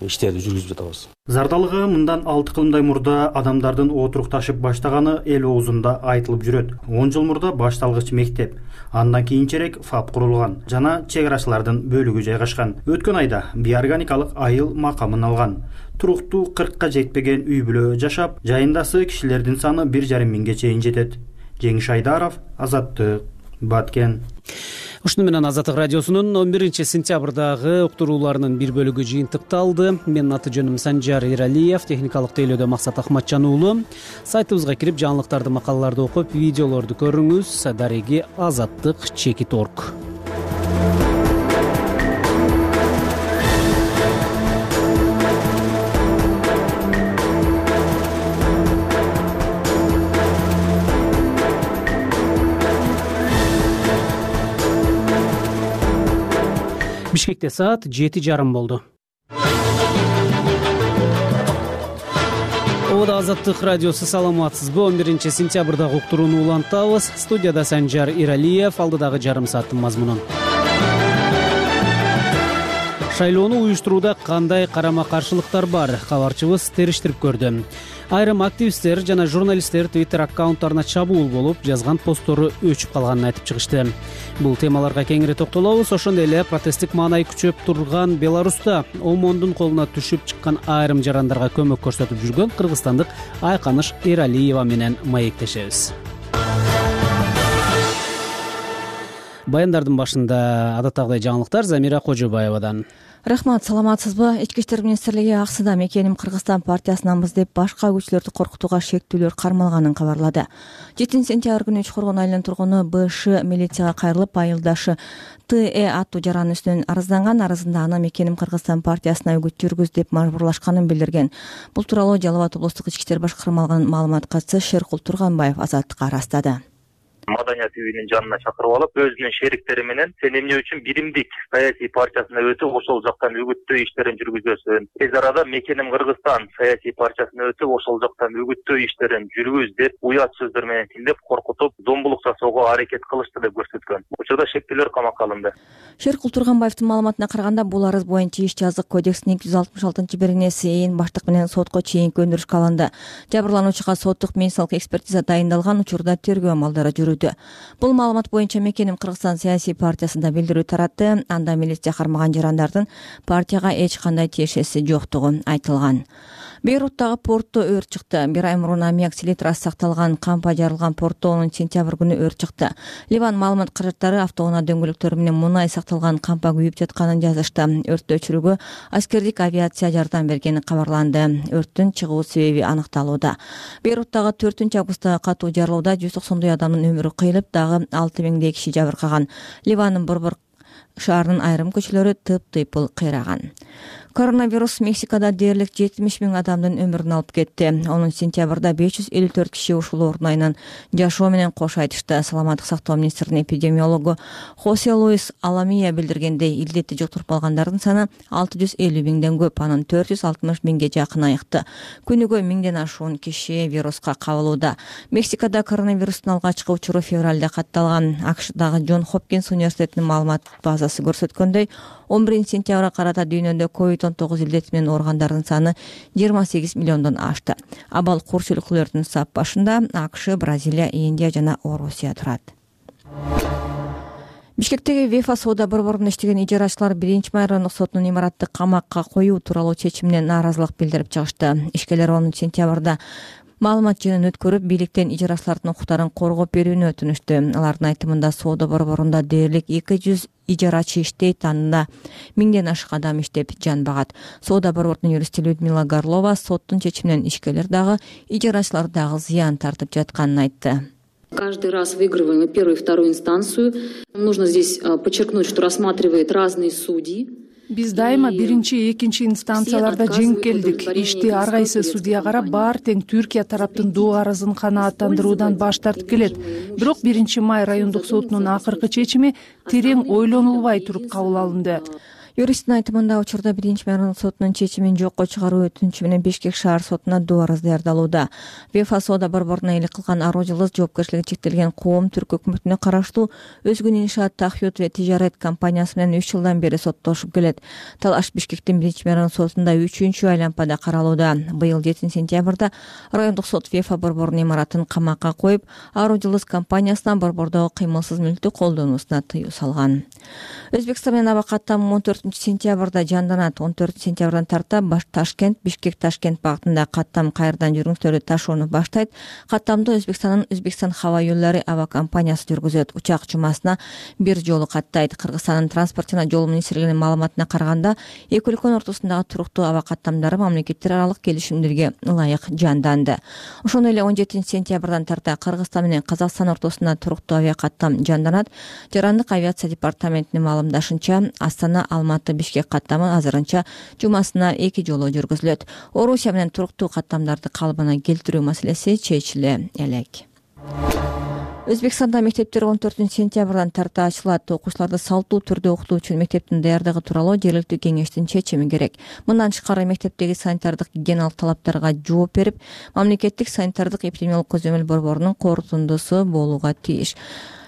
иштерди жүргүзүп жатабыз. Зардалыга мындан 6 кылымдай мурда адамдардын отурукташып баштаганы эл оозунда айтылып жүрөт. 10 жыл мурда башталгыч мектеп, андан кийинчерээк ФАП курулган жана чек арачылардын бөлүгү жайгашкан. Өткөн айда биорганикалык айыл макамын алган. Туруктуу 40ка жетпеген үй бүлө жашап, жайындасы кишилердин саны 1,5 миңге чейин жетет. Жеңиш Айдаров, Азаттык, Баткен. Ушуну менен Азаттык радиосунун 11-сентябрдагы уктурууларынын бир бөлүгү жыйынтыкталды. Менин аты жөнүм Санжар Иралиев, техникалык тейлөөдө Максат Ахматжан уулу. Сайтыбызга кирип жаңылыктарды, макалаларды окуп, видеолорду көрүңүз. Дареги Азаттык.org. Бишкекте саат 7:30 болду. Ода Азаттык радиосу, саламатсызбы? 11 сентябрдагы уктурууну улантабыз. Студияда Санжар Иралиев, алдыдагы жарым сааттын мазмунун. Шайлоону уюштурууда кандай карама-каршылыктар бар? Кабарчыбыз териштирип көрдү. Айрым активисттер жана журналисттер Twitter аккаунттарына чабуул болуп, жазган посттору өчүп калганын айтып чыгышты. Бул темаларга кеңири токтолобуз. Ошондой эле протесттик маанай күчөп турган Беларуста ОМОНдун колуна түшүп чыккан айрым жарандарга көмөк көрсөтүп жүргөн кыргызстандык Айканыш Эралиева менен маектешебиз. Баяндардын башында адаттагыдай жаңылыктар Замира Кожобаевадан. Рахмат, саламатсызбы? Ички иштер министрлиги аксыда мекеним Кыргызстан партиясынанбыз деп башка күчлөрдү коркутууга шектүүлөр кармалганын кабарлады. 7 сентябрь күнү Учкоргон айылынын тургуну БШ милицияга кайрылып, айылдашы ТЭ аттуу жаран үстүнөн арызданган. Арызында аны мекеним Кыргызстан партиясына үгүт жүргүз деп мажбурлашканын билдирген. Бул тууралуу Жалал Абад облустук ички иштер башкарма алган маалымат катчысы Шеркул Турганбаев Азаттыкка ырастады. Маданият үйүнүн жанына чакырып алып, өзүнүн шериктери менен сен эмне үчүн биримдик саясий партиясына өтүп, ошол жактан үгүттөө иштерин жүргүзөсүң. Тез арада мекеним Кыргызстан саясий партиясына өтүп, ошол жактан үгүттөө иштерин жүргүз деп уят сөздөр менен тилдеп коркутуп, зомбулук жасоого аракет кылышты деп көрсөткөн. Учурда шектүүлөр камакка алынды. Шеркул Турганбаевдин маалыматына караганда, бул арыз боюнча иш жазык кодекстин 266-беренеси ээн баштык менен сотко чейинки өндүрүшкө алынды. Жабырлануучуга соттук медициналык экспертиза дайындалган, учурда тергөө амалдары жүрүүдө. Бул маалымат боюнча мекеним Кыргызстан саясий партиясында билдирүү таратты. Анда милиция кармаган жарандардын партияга эч кандай тиешеси жоктугу айтылган. Бейруттагы портто өрт чыкты. Бир ай мурун аммиак селитрасы сакталган кампа жарылган портто 10 сентябрь күнү өрт чыкты. Ливан маалымат каражаттары автоунаа дөңгөлөктөрү менен мунай сакталган кампа күйүп жатканын жазышты. Өрттү өчүрүүгө аскердик авиация жардам бергени кабарланды. Өрттүн чыгуу себеби аныкталууда. Бейруттагы 4-августтагы катуу жарылууда 190 адамдын өмүрү кыйылып, дагы 6000 киши жабыркаган. Ливандын борбор шаарынын айрым көчөлөрү тыйпыл кыйраган. Коронавирус Мексикада дээрлик 70 000 адамдын өмүрүн алып кетти. 10 сентябрда 554 киши ушул оорунун айынан жашоо менен кош айтышты. Саламаттык сактоо министринин эпидемиологу Хосе Луис Аламия билдиргендей, илдетти жуктуруп алгандардын саны 650 000ден көп, анын 460 000ге жакын айыкты. Күнүгө 1000ден ашуун киши вируска кабылууда. Мексикада коронавирустун алгачкы учуру февралда катталган. АКШдагы Джон Хопкинс университетинин маалымат базасы көрсөткөндөй, 11 сентябрга карата дүйнөдө COVID-19 илдети менен ооругандардын саны 28 миллиондон ашты. Абал курч өлкөлөрдүн сап башында АКШ, Бразилия, Индия жана Орусия турат. Бишкектеги ВЕФА соода борборунда иштеген ижарачылар 1-май райондук сотунун имаратты камакка коюу тууралуу чечимине нааразылык билдирип чыгышты. Ишкерлер 10 сентябрда маалымат жыйынын өткөрүп, бийликтен ижарачылардын укуктарын коргоп берүүнү өтүнүштү. Алардын айтымында соода борборунда дээрлик 200 ижарачы иштейт, анда 1000ден ашык адам иштеп жан багат. Соода борборунун юристи Людмила Горлова соттун чечиминен ишкерлер дагы, ижарачылар дагы зыян тартып жатканын айтты. Каждый раз выигрываем первую и вторую инстанцию. Нужно здесь подчеркнуть, что рассматривает разные судьи. Биз дайыма биринчи, экинчи инстанцияларда жеңип келдик. Ишти ар кайсы судья карап, баары тең Түркия тараптын доо арызын канааттандыруудан баш тартып келет. Бирок 1-май райондук сотунун акыркы чечими терең ойлонулбай туруп кабыл алынды. Юристтин айтымында, учурда 1-май райондук сотунун чечимин жокко чыгаруу өтүнүчү менен Бишкек шаар сотуна доо арыз даярдалууда. ВЕФА соода борборуна элек кылган аруу жылы жоопкерчилиги чектелген коом түрк өкмөтүнө караштуу Өзгүн иншаат Тахют ва Тижарет компаниясы менен 3 жылдан бери соттошуп келет. Талаш Бишкектин 1-май райондук сотунда 3-чү айлампада каралууда. Быйыл 7 сентябрда райондук сот ВЕФА борборунун имаратын камакка коюп, аруу жылы компаниясынан борбордогу кыймылсыз мүлктү колдонуусуна тыюу салган. Өзбекстан менен аба каттам 14 сентябрда жанданат. 14 сентябрдан тарта Ташкент, Бишкек-Ташкент багытында каттам кайрадан жүргүнүштөрдү ташууну баштайт. Каттамды Өзбекстандын Өзбекстан хаба юллары аба компаниясы жүргүзөт. Учак жумасына бир жолу каттайт. Кыргызстандын транспорт жана жол министрлигинин маалыматына караганда, эки өлкөнүн ортосундагы туруктуу аба каттамдары мамлекеттер аралык келишимдерге ылайык жанданды. Ошондой эле 17 сентябрдан тарта Кыргызстан менен Казакстан ортосунда туруктуу авиа каттам жанданат. Жарандык авиация департаментинин маалымдашынча, Астана Алматы Бишкек каттамы азырынча жумасына 2 жолу жүргүзүлөт. Орусия менен туруктуу каттамдарды калыбына келтирүү маселеси чечиле элек. Өзбекстанда мектептер 14-сентябрдан тарта ачылат. Окуучуларды салттуу түрдө окутуу үчүн мектептин даярдыгы тууралуу жергиликтүү кеңештин чечими керек. Мындан тышкары мектептеги санитардык гигиеналык талаптарга жооп берип, мамлекеттик санитардык эпидемиологиялык көзөмөл борборунун корутундусу болууга тийиш.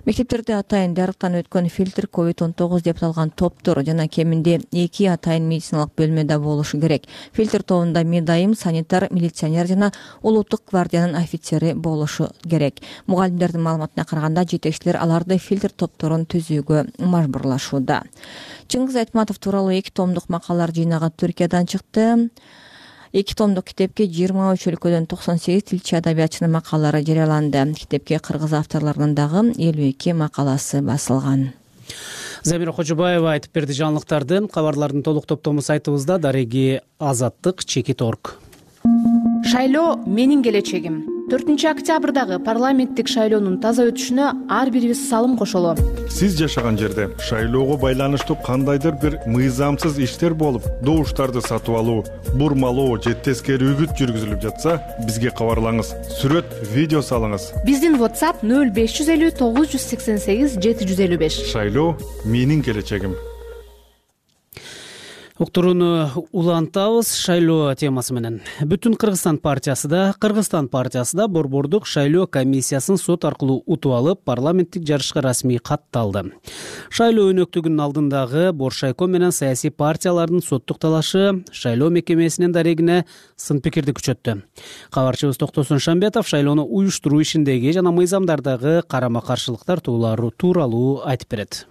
Мектептерде атайын дарыктан өткөн фильтр COVID-19 деп аталган топтор жана кеминде 2 атайын медициналык бөлмөдө болушу керек. Фильтр тобунда медайым, санитар, милиционер жана улуттук гвардиянын офицери болушу керек. Мугалимдердин маалыматына караганда, жетекчилер аларды фильтр топторун түзүүгө мажбурлашууда. Чыңгыз Айтматов тууралуу 2 томдук макалалар жыйнагы Түркиядан чыкты. 2 томдук китепке 23 өлкөдөн 98 тилчи адабиятчынын макалалары жарыяланды. Китепке кыргыз авторлорунун дагы 52 макаласы басылган. Замира Кожобаева айтып берди жаңылыктарды. Кабарлардын толук топтому сайтыбызда. Дареги Азаттык Чекит.орг. Шайлоо менин келечегим. 4-октябрдагы парламенттик шайлоонун таза өтүшүнө ар бирибиз салым кошолу. Сиз жашаган жерде шайлоого байланыштуу кандайдыр бир мыйзамсыз иштер болуп, добуштарды сатып алуу, бурмалоо же тескери үгүт жүргүзүлүп жатса, бизге кабарлаңыз. Сүрөт, видео салыңыз. Биздин WhatsApp 0550 988 755. Шайлоо менин келечегим. Уктурууну улантабыз шайлоо темасы менен. Бүтүн Кыргызстан партиясы да борбордук шайлоо комиссиясын сот аркылуу утуп алып, парламенттик жарышка расмий катталды. Шайлоо өнөктүгүнүн алдындагы Боршайком менен саясий партиялардын соттук талашы шайлоо мекемесинин дарегине сын пикирди күчөттү. Кабарчыбыз Токтосун Шамбетов шайлоону уюштуруу ишиндеги жана мыйзамдардагы карама-каршылыктар тууралуу айтып берет.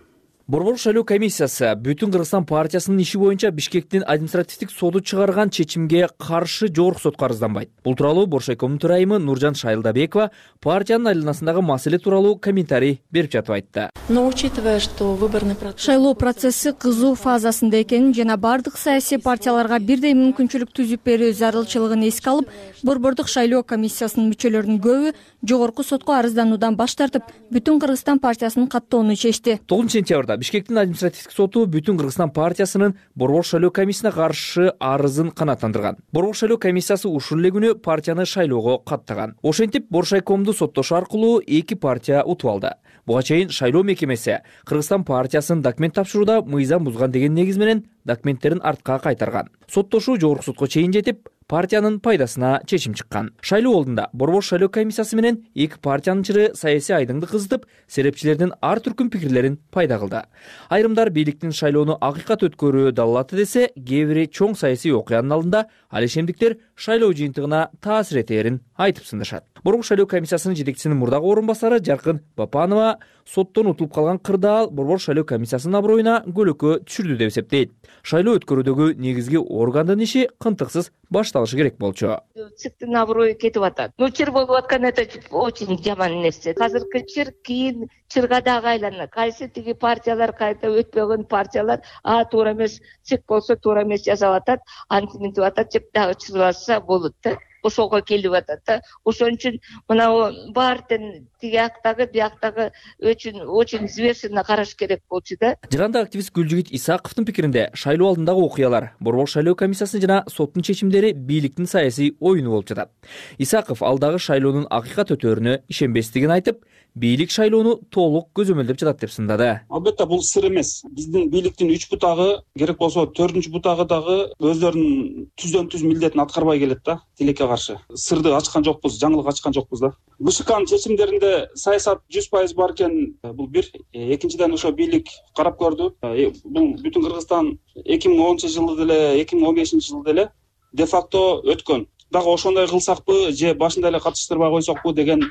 Борбордук шайлоо комиссиясы Бүтүн Кыргызстан партиясынын иши боюнча Бишкектин административдик соду чыгарган чечимге каршы жогорку сотко арызданбайт. Бул тууралуу Боршайкомдун төрайымы Нуржан Шайылдабекова партиянын айланасындагы маселе тууралуу комментарий берип жатып айтты. Но учитывая, что выборный процесс... Шайлоо процесси кызуу фазасында экенин жана бардык саясий партияларга бирдей мүмкүнчүлүк түзүп берүү зарылчылыгын эске алып, Борбордук шайлоо комиссиясынын мүчөлөрүнүн көбү жогорку сотко арыздануудан баш тартып, Бүтүн Кыргызстан партиясынын каттоону чечти. 9-сентябрда Бишкектин административдик соту Бүтүн Кыргызстан партиясынын Борбордук шайлоо комиссиясына каршы арызын канааттандырган. Борбордук шайлоо комиссиясы ушул эле күнү партияны шайлоого каттаган. Ошентип Боршайкомду соттошуу аркылуу 2 партия утуп алды. Буга чейин шайлоо мекемеси Кыргызстан партиясынын документ тапшырууда мыйзам бузган деген негиз менен документтерин артка кайтарган. Соттошуу жогорку сотко чейин жетип, партиянын пайдасына чечим чыккан. Шайлоо алдында Борбордук шайлоо комиссиясы менен 2 партиянын чыры саясий айдыңды кызытып, серепчилердин ар түркүм пикирлерин пайда кылды. Айрымдар бийликтин шайлоону акыйкат өткөрүү далалаты десе, кээ бири чоң саясий окуянын алдында ал ишемдиктер шайлоо жыйынтыгына таасир этээрин айтып сындашат. Борбордук шайлоо комиссиясынын жетекчисинин мурдагы орун басары Жаркын Бапанова соттон утулуп калган кырдаал Борбордук шайлоо комиссиясынын аброюна көлөкө түшүрдү деп эсептейт. Шайлоо өткөрүүдөгү негизги органдын иши кынтыксыз башталышы керек болчу. ЦИКтин аброю кетип атат. Чыр болуп аткан это очень жаман нерсе. Азыркы чыр кийин чырга дагы айланат. Кайсы тиги партиялар, кайта өтпөгөн партиялар туура эмес, ЦИК болсо туура эмес жасап атат, антиминтип атат деп дагы чырбаса болот да. Ошого келип атат да. Ошон үчүн мына баардын тиги жактагы, бияктагы очень взвешенно караш керек болчу да. Жыганда активист Гүлжигит Исаковдун пикиринде шайлоо алдындагы окуялар, Борбордук шайлоо комиссиясы жана соттун чечимдери бийликтин саясий оюну болуп жатат. Исаков алдагы шайлоонун акыйкат өтөөрүнө ишенбестигин айтып, бийлик шайлоону толук көзөмөлдөп жатат деп сындады. Албетте бул сыр эмес. Биздин бийликтин 3 бутагы, керек болсо 4-чү бутагы дагы өздөрүнүн түздөн-түз милдетин аткарбай келет да, тилекке каршы. Сырды ачкан жокпуз, жаңылык ачкан жокпуз да. БШКнын чечимдеринде саясат 100% бар экен, бул бир. Экинчиден ошо бийлик карап көрдү. Бул Бүтүн Кыргызстан 2010-жылы деле, 2015-жылы деле де факто өткөн. Дагы ошондой кылсакпы же башында эле катыштырбай койсокпу деген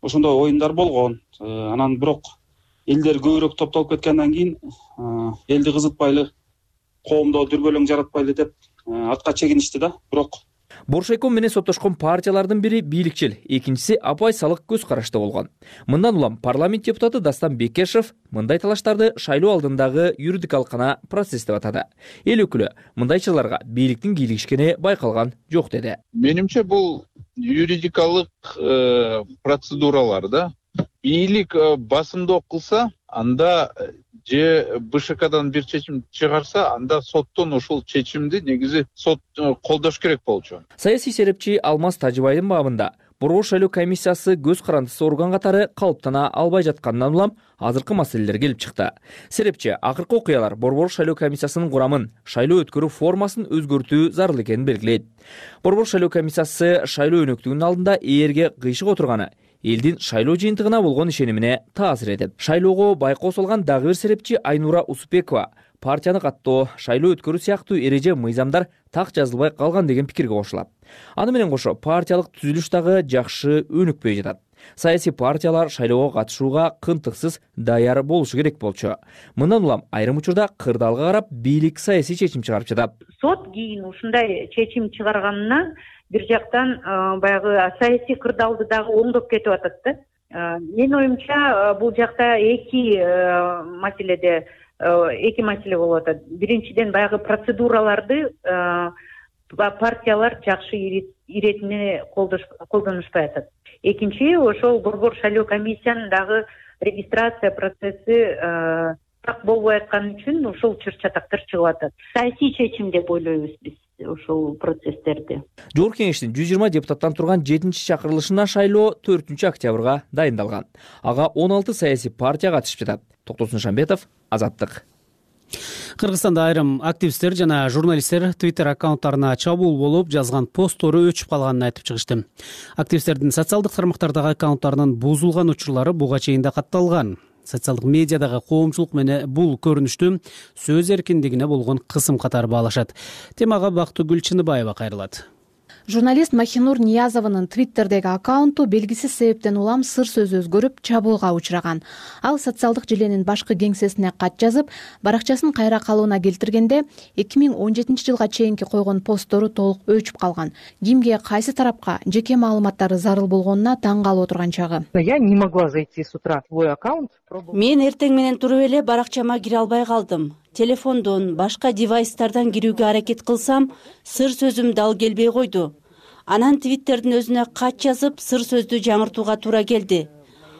ошондой оюндар болгон. Анан бирок элдер көбүрөөк топтолуп кеткенден кийин элди кызытпайлы, коомдо дүрбөлөң жаратпайлы деп артка чегиништи да. Бирок Боршайком менен соттошкон партиялардын бири бийликчил, экинчиси апайсалык көз карашта болгон. Мындан улам парламент депутаты Дастан Бекешев мындай талаштарды шайлоо алдындагы юридикалык гана процесс деп атады. Эл өкүлү мындай чырларга бийликтин кийлигишкени байкалган жок деди. Менимче бул юридикалык процедуралар да. Бийлик басымдоо кылса, анда же БШКдан бир чечим чыгарса, анда соттон ушул чечимди негизи сот колдош керек болчу. Саясий серепчи Алмаз Тажыбайдын бабында Борбор шайлоо комиссиясы көз карандысы орган катары калыптана албай жатканынан улам азыркы маселелер келип чыкты. Серепчи акыркы окуялар Борбор шайлоо комиссиясынын курамын, шайлоо өткөрүү формасын өзгөртүү зарыл экенин белгилейт. Борбор шайлоо комиссиясы шайлоо өнөктүгүнүн алдында ээрге кыйшык отурганы элдин шайлоо жыйынтыгына болгон ишенимине таасир этет. Шайлоого байкоо салган дагы бир серепчи Айнура Усупекова партияны каттоо, шайлоо өткөрүү сыяктуу эреже мыйзамдар так жазылбай калган деген пикирге кошулат. Аны менен кошо партиялык түзүлүш дагы жакшы өнүкпөй жатат. Саясий партиялар шайлоого катышууга кынтыксыз даяр болушу керек болчу. Мындан улам айрым учурда кырдаалга карап бийлик саясий чечим чыгарып жатат. Сот кийин ушундай чечим чыгарганынан бир жактан баягы саясий кырдаалды дагы оңдоп кетип атат да. Менин оюмча бул жакта эки маселе болуп атат. Биринчиден баягы процедураларды партиялар жакшы иретине колдонушпай атат. Экинчи, ошол Борбор шайлоо комиссиянын дагы регистрация процесси так болбой аткан үчүн ушул чыр-чатактар чыгып атат. Саясий чечим деп ойлойбуз биз ошол процесстерди. Жогорку кеңештин 120 депутаттан турган 7-чи чакырылышына шайлоо 4-октябрга дайындалган. Ага 16 саясий партия катышып жатат. Токтосун Шамбетов, Азаттык. Кыргызстанда айрым активисттер жана журналисттер Twitter аккаунттарына чабуул болуп, жазган посттору өчүп калганын айтып чыгышты. Активисттердин социалдык тармактардагы аккаунттарынын бузулган учурлары буга чейин да катталган. Социалдык медиадагы коомчулук менен бул көрүнүштү сөз эркиндигине болгон кысым катары баалашат. Темага Бактыгүл Чыныбаева кайрылат. Журналист Махинур Ниязованын Твиттердеги аккаунту белгисиз себептен улам сыр сөз өзгөрүп, чабуулга учураган. Ал социалдык желенин башкы кеңсесине кат жазып, баракчасын кайра калууна келтиргенде 2017-жылга чейинки койгон посттору толук өчүп калган. Кимге, кайсы тарапка жеке маалыматтары зарыл болгонуна таң калып отурган чагы. Я не могла зайти с утра в свой аккаунт. Мен эртең менен туруп эле баракчама кире албай калдым. Телефондон, башка девайстардан кирүүгө аракет кылсам, сыр сөзүм дал келбей койду. Анан Твиттердин өзүнө кат жазып, сыр сөздү жаңыртууга туура келди.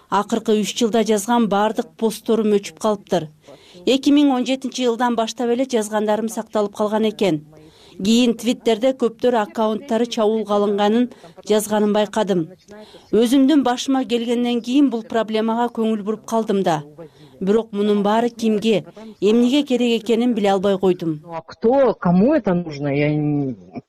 Акыркы 3 жылда жазган бардык постторум өчүп калыптыр. 2017-жылдан баштап эле жазгандарым сакталып калган экен. Кийин Твиттерде көптөр аккаунттары чабуулга алынганын жазганын байкадым. Өзүмдүн башыма келгенден кийин бул проблемага көңүл буруп калдым да. Бирок мунун баары кимге, эмнеге керек экенин биле албай койдум. Кто, кому это нужно, я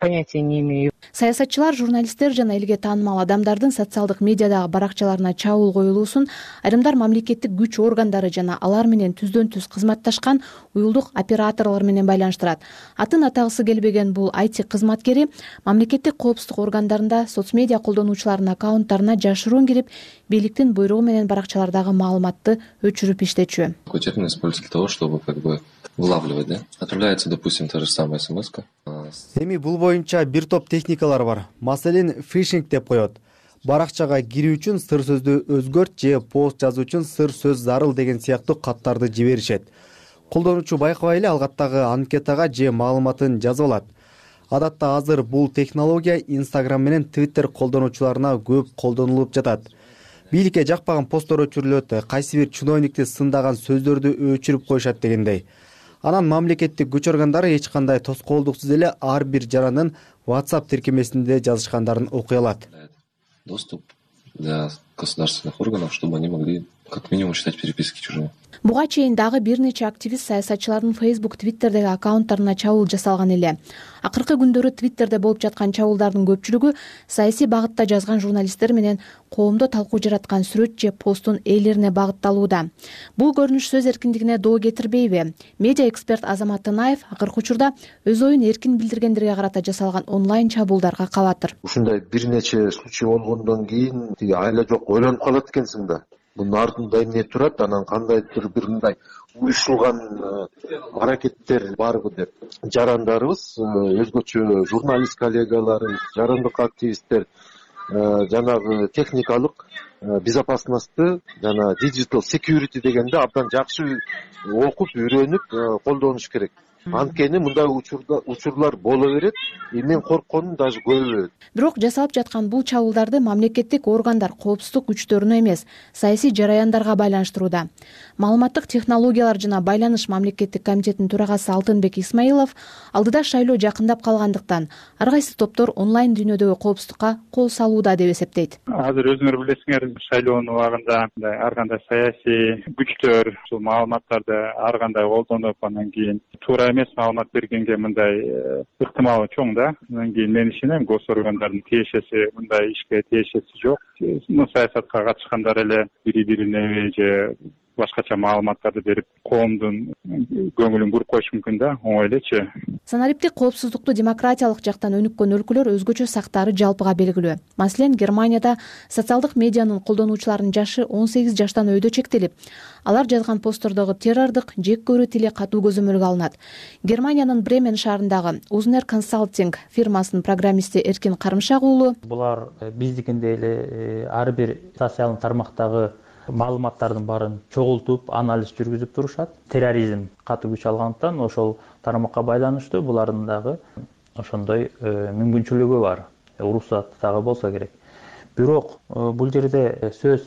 понятия не имею. Саясатчылар, журналисттер жана элге таанымал адамдардын социалдык медиадагы баракчаларына чабуул коюлуусун айрымдар мамлекеттик күч органдары жана алар менен түздөн-түз кызматташкан уюлдук операторлор менен байланыштырат. Атын атагысы келбеген бул IT кызматкери мамлекеттик коопсуздук органдарында соцмедиа колдонуучулардын аккаунттарына жашыруун кирип, бийликтин буйругу менен баракчалардагы маалыматты өчүрүп иштечү. Какой термин используется для того, чтобы вылавливать, да? Отправляется, допустим, та же самая смс-ка. Эми бул боюнча бир топ техникалар бар. Маселен, фишинг деп коет. Баракчага кирүү үчүн сыр сөздү өзгөрт же пост жазуу үчүн сыр сөз зарыл деген сыяктуу каттарды жиберишет. Колдонуучу байкабай эле алгаттагы анкетага же маалыматын жазып алат. Адатта азыр бул технология Instagram менен Twitter колдонуучуларына көп колдонулуп жатат. Бийликке жакпаган посттор өчүрүлөт, кайсы бир чиновникти сындаган сөздөрдү өчүрүп коюшат дегендей. Анан мамлекеттик күч органдары эч кандай тоскоолдуксуз эле ар бир жарандын WhatsApp тиркемесинде жазышкандарын окуй алат. Доступ для государственных органов, чтобы они могли как минимум читать переписки чужими. Буга чейин дагы бир нече активист саясатчылардын Facebook, Twitterдеги аккаунттарына чабуул жасалган эле. Акыркы күндөрү Twitterде болуп жаткан чабуулдардын көпчүлүгү саясий багытта жазган журналисттер менен коомдо талкуу жараткан сүрөт же посттун ээлерине багытталууда. Бул көрүнүш сөз эркиндигине доо кетирбейби? Медиа эксперт Азамат Танаев акыркы учурда өз оюн эркин билдиргендерге карата жасалган онлайн чабуулдарга кабатыр. Ушундай бир нече случай болгондон кийин айла жок ойлонуп калат экенсиң да. Мунун артында эмне турат, анан кандайдыр бир мындай уюшулган аракеттер барбы деп. Жарандарыбыз, өзгөчө журналист коллегаларыбыз, жарандык активисттер жанагы техникалык безопасностьты жана digital security дегенде абдан жакшы окуп, үйрөнүп колдонуш керек. Анткени мындай учурлар боло берет, мен коркконум даже көбөйөт. Бирок жасалып жаткан бул чабуулдарды мамлекеттик органдар коопсуздук күчтөрүнө эмес, саясий жараяндарга байланыштырууда. Маалыматтык технологиялар жана байланыш мамлекеттик комитетинин төрагасы Алтынбек Исмаилов алдыда шайлоо жакындап калгандыктан ар кайсы топтор онлайн дүйнөдөгү коопсуздукка кол салууда деп эсептейт. Азыр өзүңөр билесиңер, шайлоонун убагында ар кандай саясий күчтөр ушул маалыматтарды ар кандай колдонуп, анан кийин туура эмес маалымат бергенге мындай ыктымалы чоң да. Анан кийин мен ишенем, госоргандардын тиешеси мындай ишке тиешеси жок. Саясатка катышкандар эле бири-бирине же башкача маалыматтарды берип, коомдун көңүлүн буруп коюш мүмкүн да, оңой элечи. Санариптик коопсуздукту демократиялык жактан өнүккөн өлкөлөр өзгөчө сактаары жалпыга белгилүү. Маселен, Германияда социалдык медианын колдонуучуларынын жашы 18 жаштан өйдө чектелип, алар жазган посттордогу террордук, жек көрүү тили катуу көзөмөлгө алынат. Германиянын Бремен шаарындагы Uznер консалтинг фирмасынын программисти Эркин Карымшак уулу: булар биздикиндей эле ар бир социалдык тармактагы маалыматтардын баарын чогултуп, анализ жүргүзүп турушат. Терроризм катуу күч алгандыктан ошол тармакка байланыштуу булардын дагы ошондой мүмкүнчүлүгү бар. Уруксаты дагы болсо керек. Бирок бул жерде сөз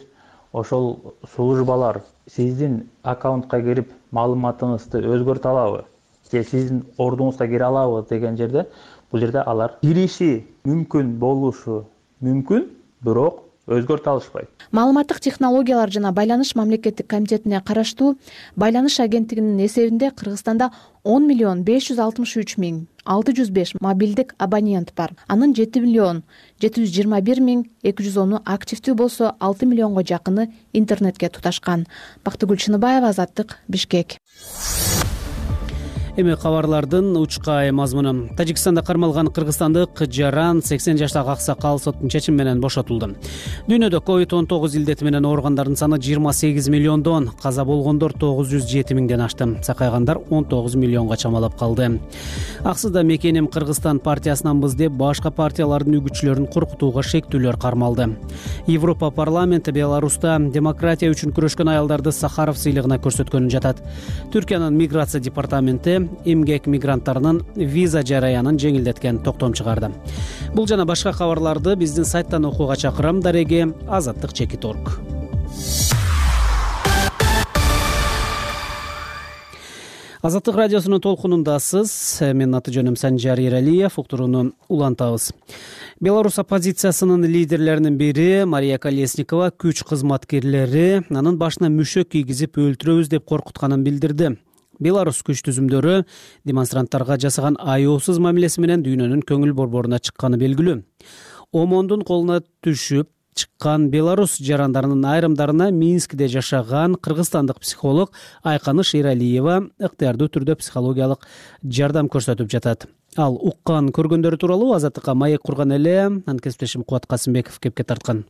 ошол службалар сиздин аккаунтка кирип маалыматыңызды өзгөртө алабы же сиздин ордуңузга кире алабы деген жерде, бул жерде алар кириши мүмкүн болушу мүмкүн, бирок өзгөртө алышпайт. Маалыматтык технологиялар жана байланыш мамлекеттик комитетине караштуу байланыш агенттигинин эсебинде Кыргызстанда 10,563,605 мобилдик абонент бар. Анын 7,721,210 активдүү болсо, 6 миллионго жакыны интернетке туташкан. Бактыгүл Чыныбаева, Азаттык, Бишкек. Эми кабарлардын учкай мазмуну. Тажикстанда кармалган кыргызстандык жаран 80 жаштагы аксакал соттун чечими менен бошотулду. Дүйнөдө COVID-19 илдети менен ооругандардын саны 28 миллиондон, каза болгондор 907 миңден ашты. Сакайгандар 19 миллионго чамалап калды. Аксыда Мекеним Кыргызстан партиясынанбыз деп башка партиялардын үгүтчүлөрүн коркутууга шектүүлөр кармалды. Европа парламенти Беларуста демократия үчүн күрөшкөн аялдарды Сахаров сыйлыгына көрсөткөнүн жатат. Түркиянын миграция департаменти эмгек мигранттарынын виза жараянын жеңилдеткен токтом чыгарды. Бул жана башка кабарларды биздин сайттан окууга чакырам. Дареги azattik.org. Азаттык радиосунун толкунундасыз. Менин аты жөнүм Санжар Эралиев. Уктурууну улантабыз. Беларусь оппозициясынын лидерлеринин бири Мария Колесникова күч кызматкерлери анын башына мүшөк кийгизип өлтүрөбүз деп коркутканын билдирди. Беларусь күч түзүмдөрү демонстранттарга жасаган аяосуз мамилеси менен дүйнөнүн көңүл борборуна чыкканы белгилүү. ОМОНдун колуна түшүп чыккан Беларусь жарандарынын айрымдарына Минскиде жашаган кыргызстандык психолог Айканыш Эралиева ыктыярдуу түрдө психологиялык жардам көрсөтүп жатат. Ал уккан көргөндөрү тууралуу Азаттыкка маек курган эле анкесиптешим Кубат Касымбеков кепке тарткан.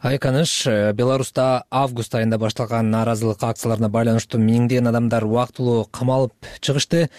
Айканыш, Беларуста август айында башталган нааразылык акцияларына байланыштуу миңдеген адамдар убактылуу камалып чыгышты.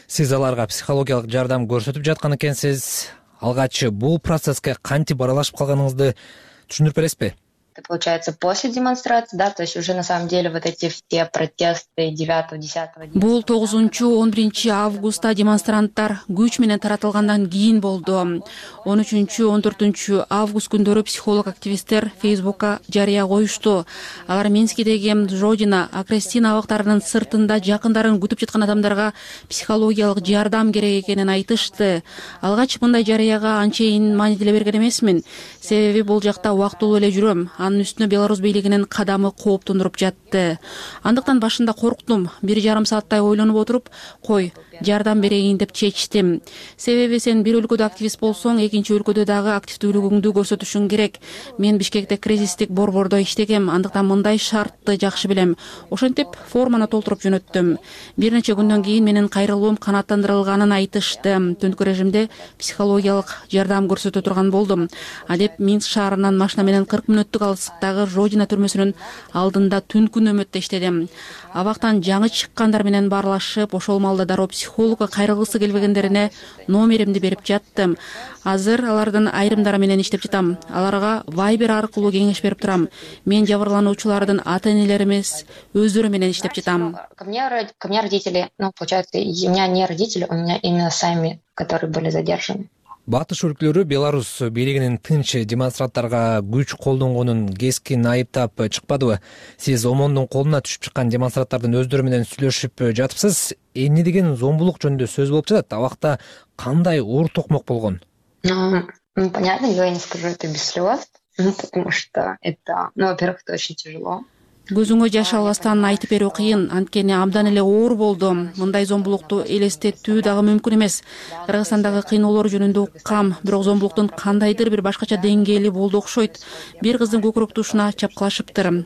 Сиз аларга психологиялык жардам көрсөтүп жаткан экенсиз. Алгач бул процесске кантип аралашып калганыңызды түшүндүрүп бересизби? Это получается после демонстрации, да, то есть уже на самом деле вот эти все протесты 9-10. Бул 9-11 августта демонстранттар күч менен таратылгандан кийин болду. 13-14 август күндөрү психолог активисттер Фейсбукка жарыя коюшту. Алар Минскидеги Жодина, Акрестина абактарынын сыртында жакындарын күтүп жаткан адамдарга психологиялык жардам керек экенин айтышты. Алгач мындай жарыяга анчейин маанилүү берген эмесмин. Себеби бул жакта убактылуу эле жүрөм. Анын үстүнө Беларусь бийлигинин кадамы кооптондуруп жатты. Андыктан башында корктум. 1,5 сааттай ойлонуп отуруп, кой, жардам берейин деп чечтим. Себеби сен бир өлкөдө активист болсоң, экинчи өлкөдө дагы активдүүлүгүңдү көрсөтүшүң керек. Мен Бишкекте кризистик борбордо иштегем, андыктан мындай шартты жакшы билем. Ошентип форманы толтуруп жөнөттүм. Бир нече күндөн кийин менин кайрылуум канааттандырылганын айтышты. Түнкү режимде психологиялык жардам көрсөтө турган болдум. А деп Минск шаарынан машина менен 40 мүнөттүк алыстыктагы Жодина түрмөсүнүн алдында түнкү нөмөттө иштедим. Абактан жаңы чыккандар менен баарлашып, ошол маалда дароо психолог психологко кайрылгысы келбегендерине номеримди берип жаттым. Азыр алардын айрымдары менен иштеп жатам. Аларга Viber аркылуу кеңеш берип турам. Мен жабырлануучулардын ата-энелери эмес, өздөрү менен иштеп жатам. Ко мне родители, получается, у меня не родители, у меня именно сами, которые были задержаны. Батыш өлкөлөрү Беларусь бийлигинин тынч демонстранттарга күч колдонгонун кескин айыптап чыкпадыбы? Сиз ОМОНдун колуна түшүп чыккан демонстранттардын өздөрү менен сүйлөшүп жатыпсыз. Эмне деген зомбулук жөнүндө сөз болуп жатат? Абакта кандай оор токмок болгон? Понятно, я не скажу это без слез, потому что это, во-первых, это очень тяжело. Көзүңө жаш албастан айтып берүү кыйын, анткени абдан эле оор болду. Мындай зомбулукту элестетүү дагы мүмкүн эмес. Кыргызстандагы кыйноолор жөнүндө уккам, бирок зомбулуктун кандайдыр бир башкача деңгээли болду окшойт. Бир кыздын көкүрөк тушуна чапкылашыптыр.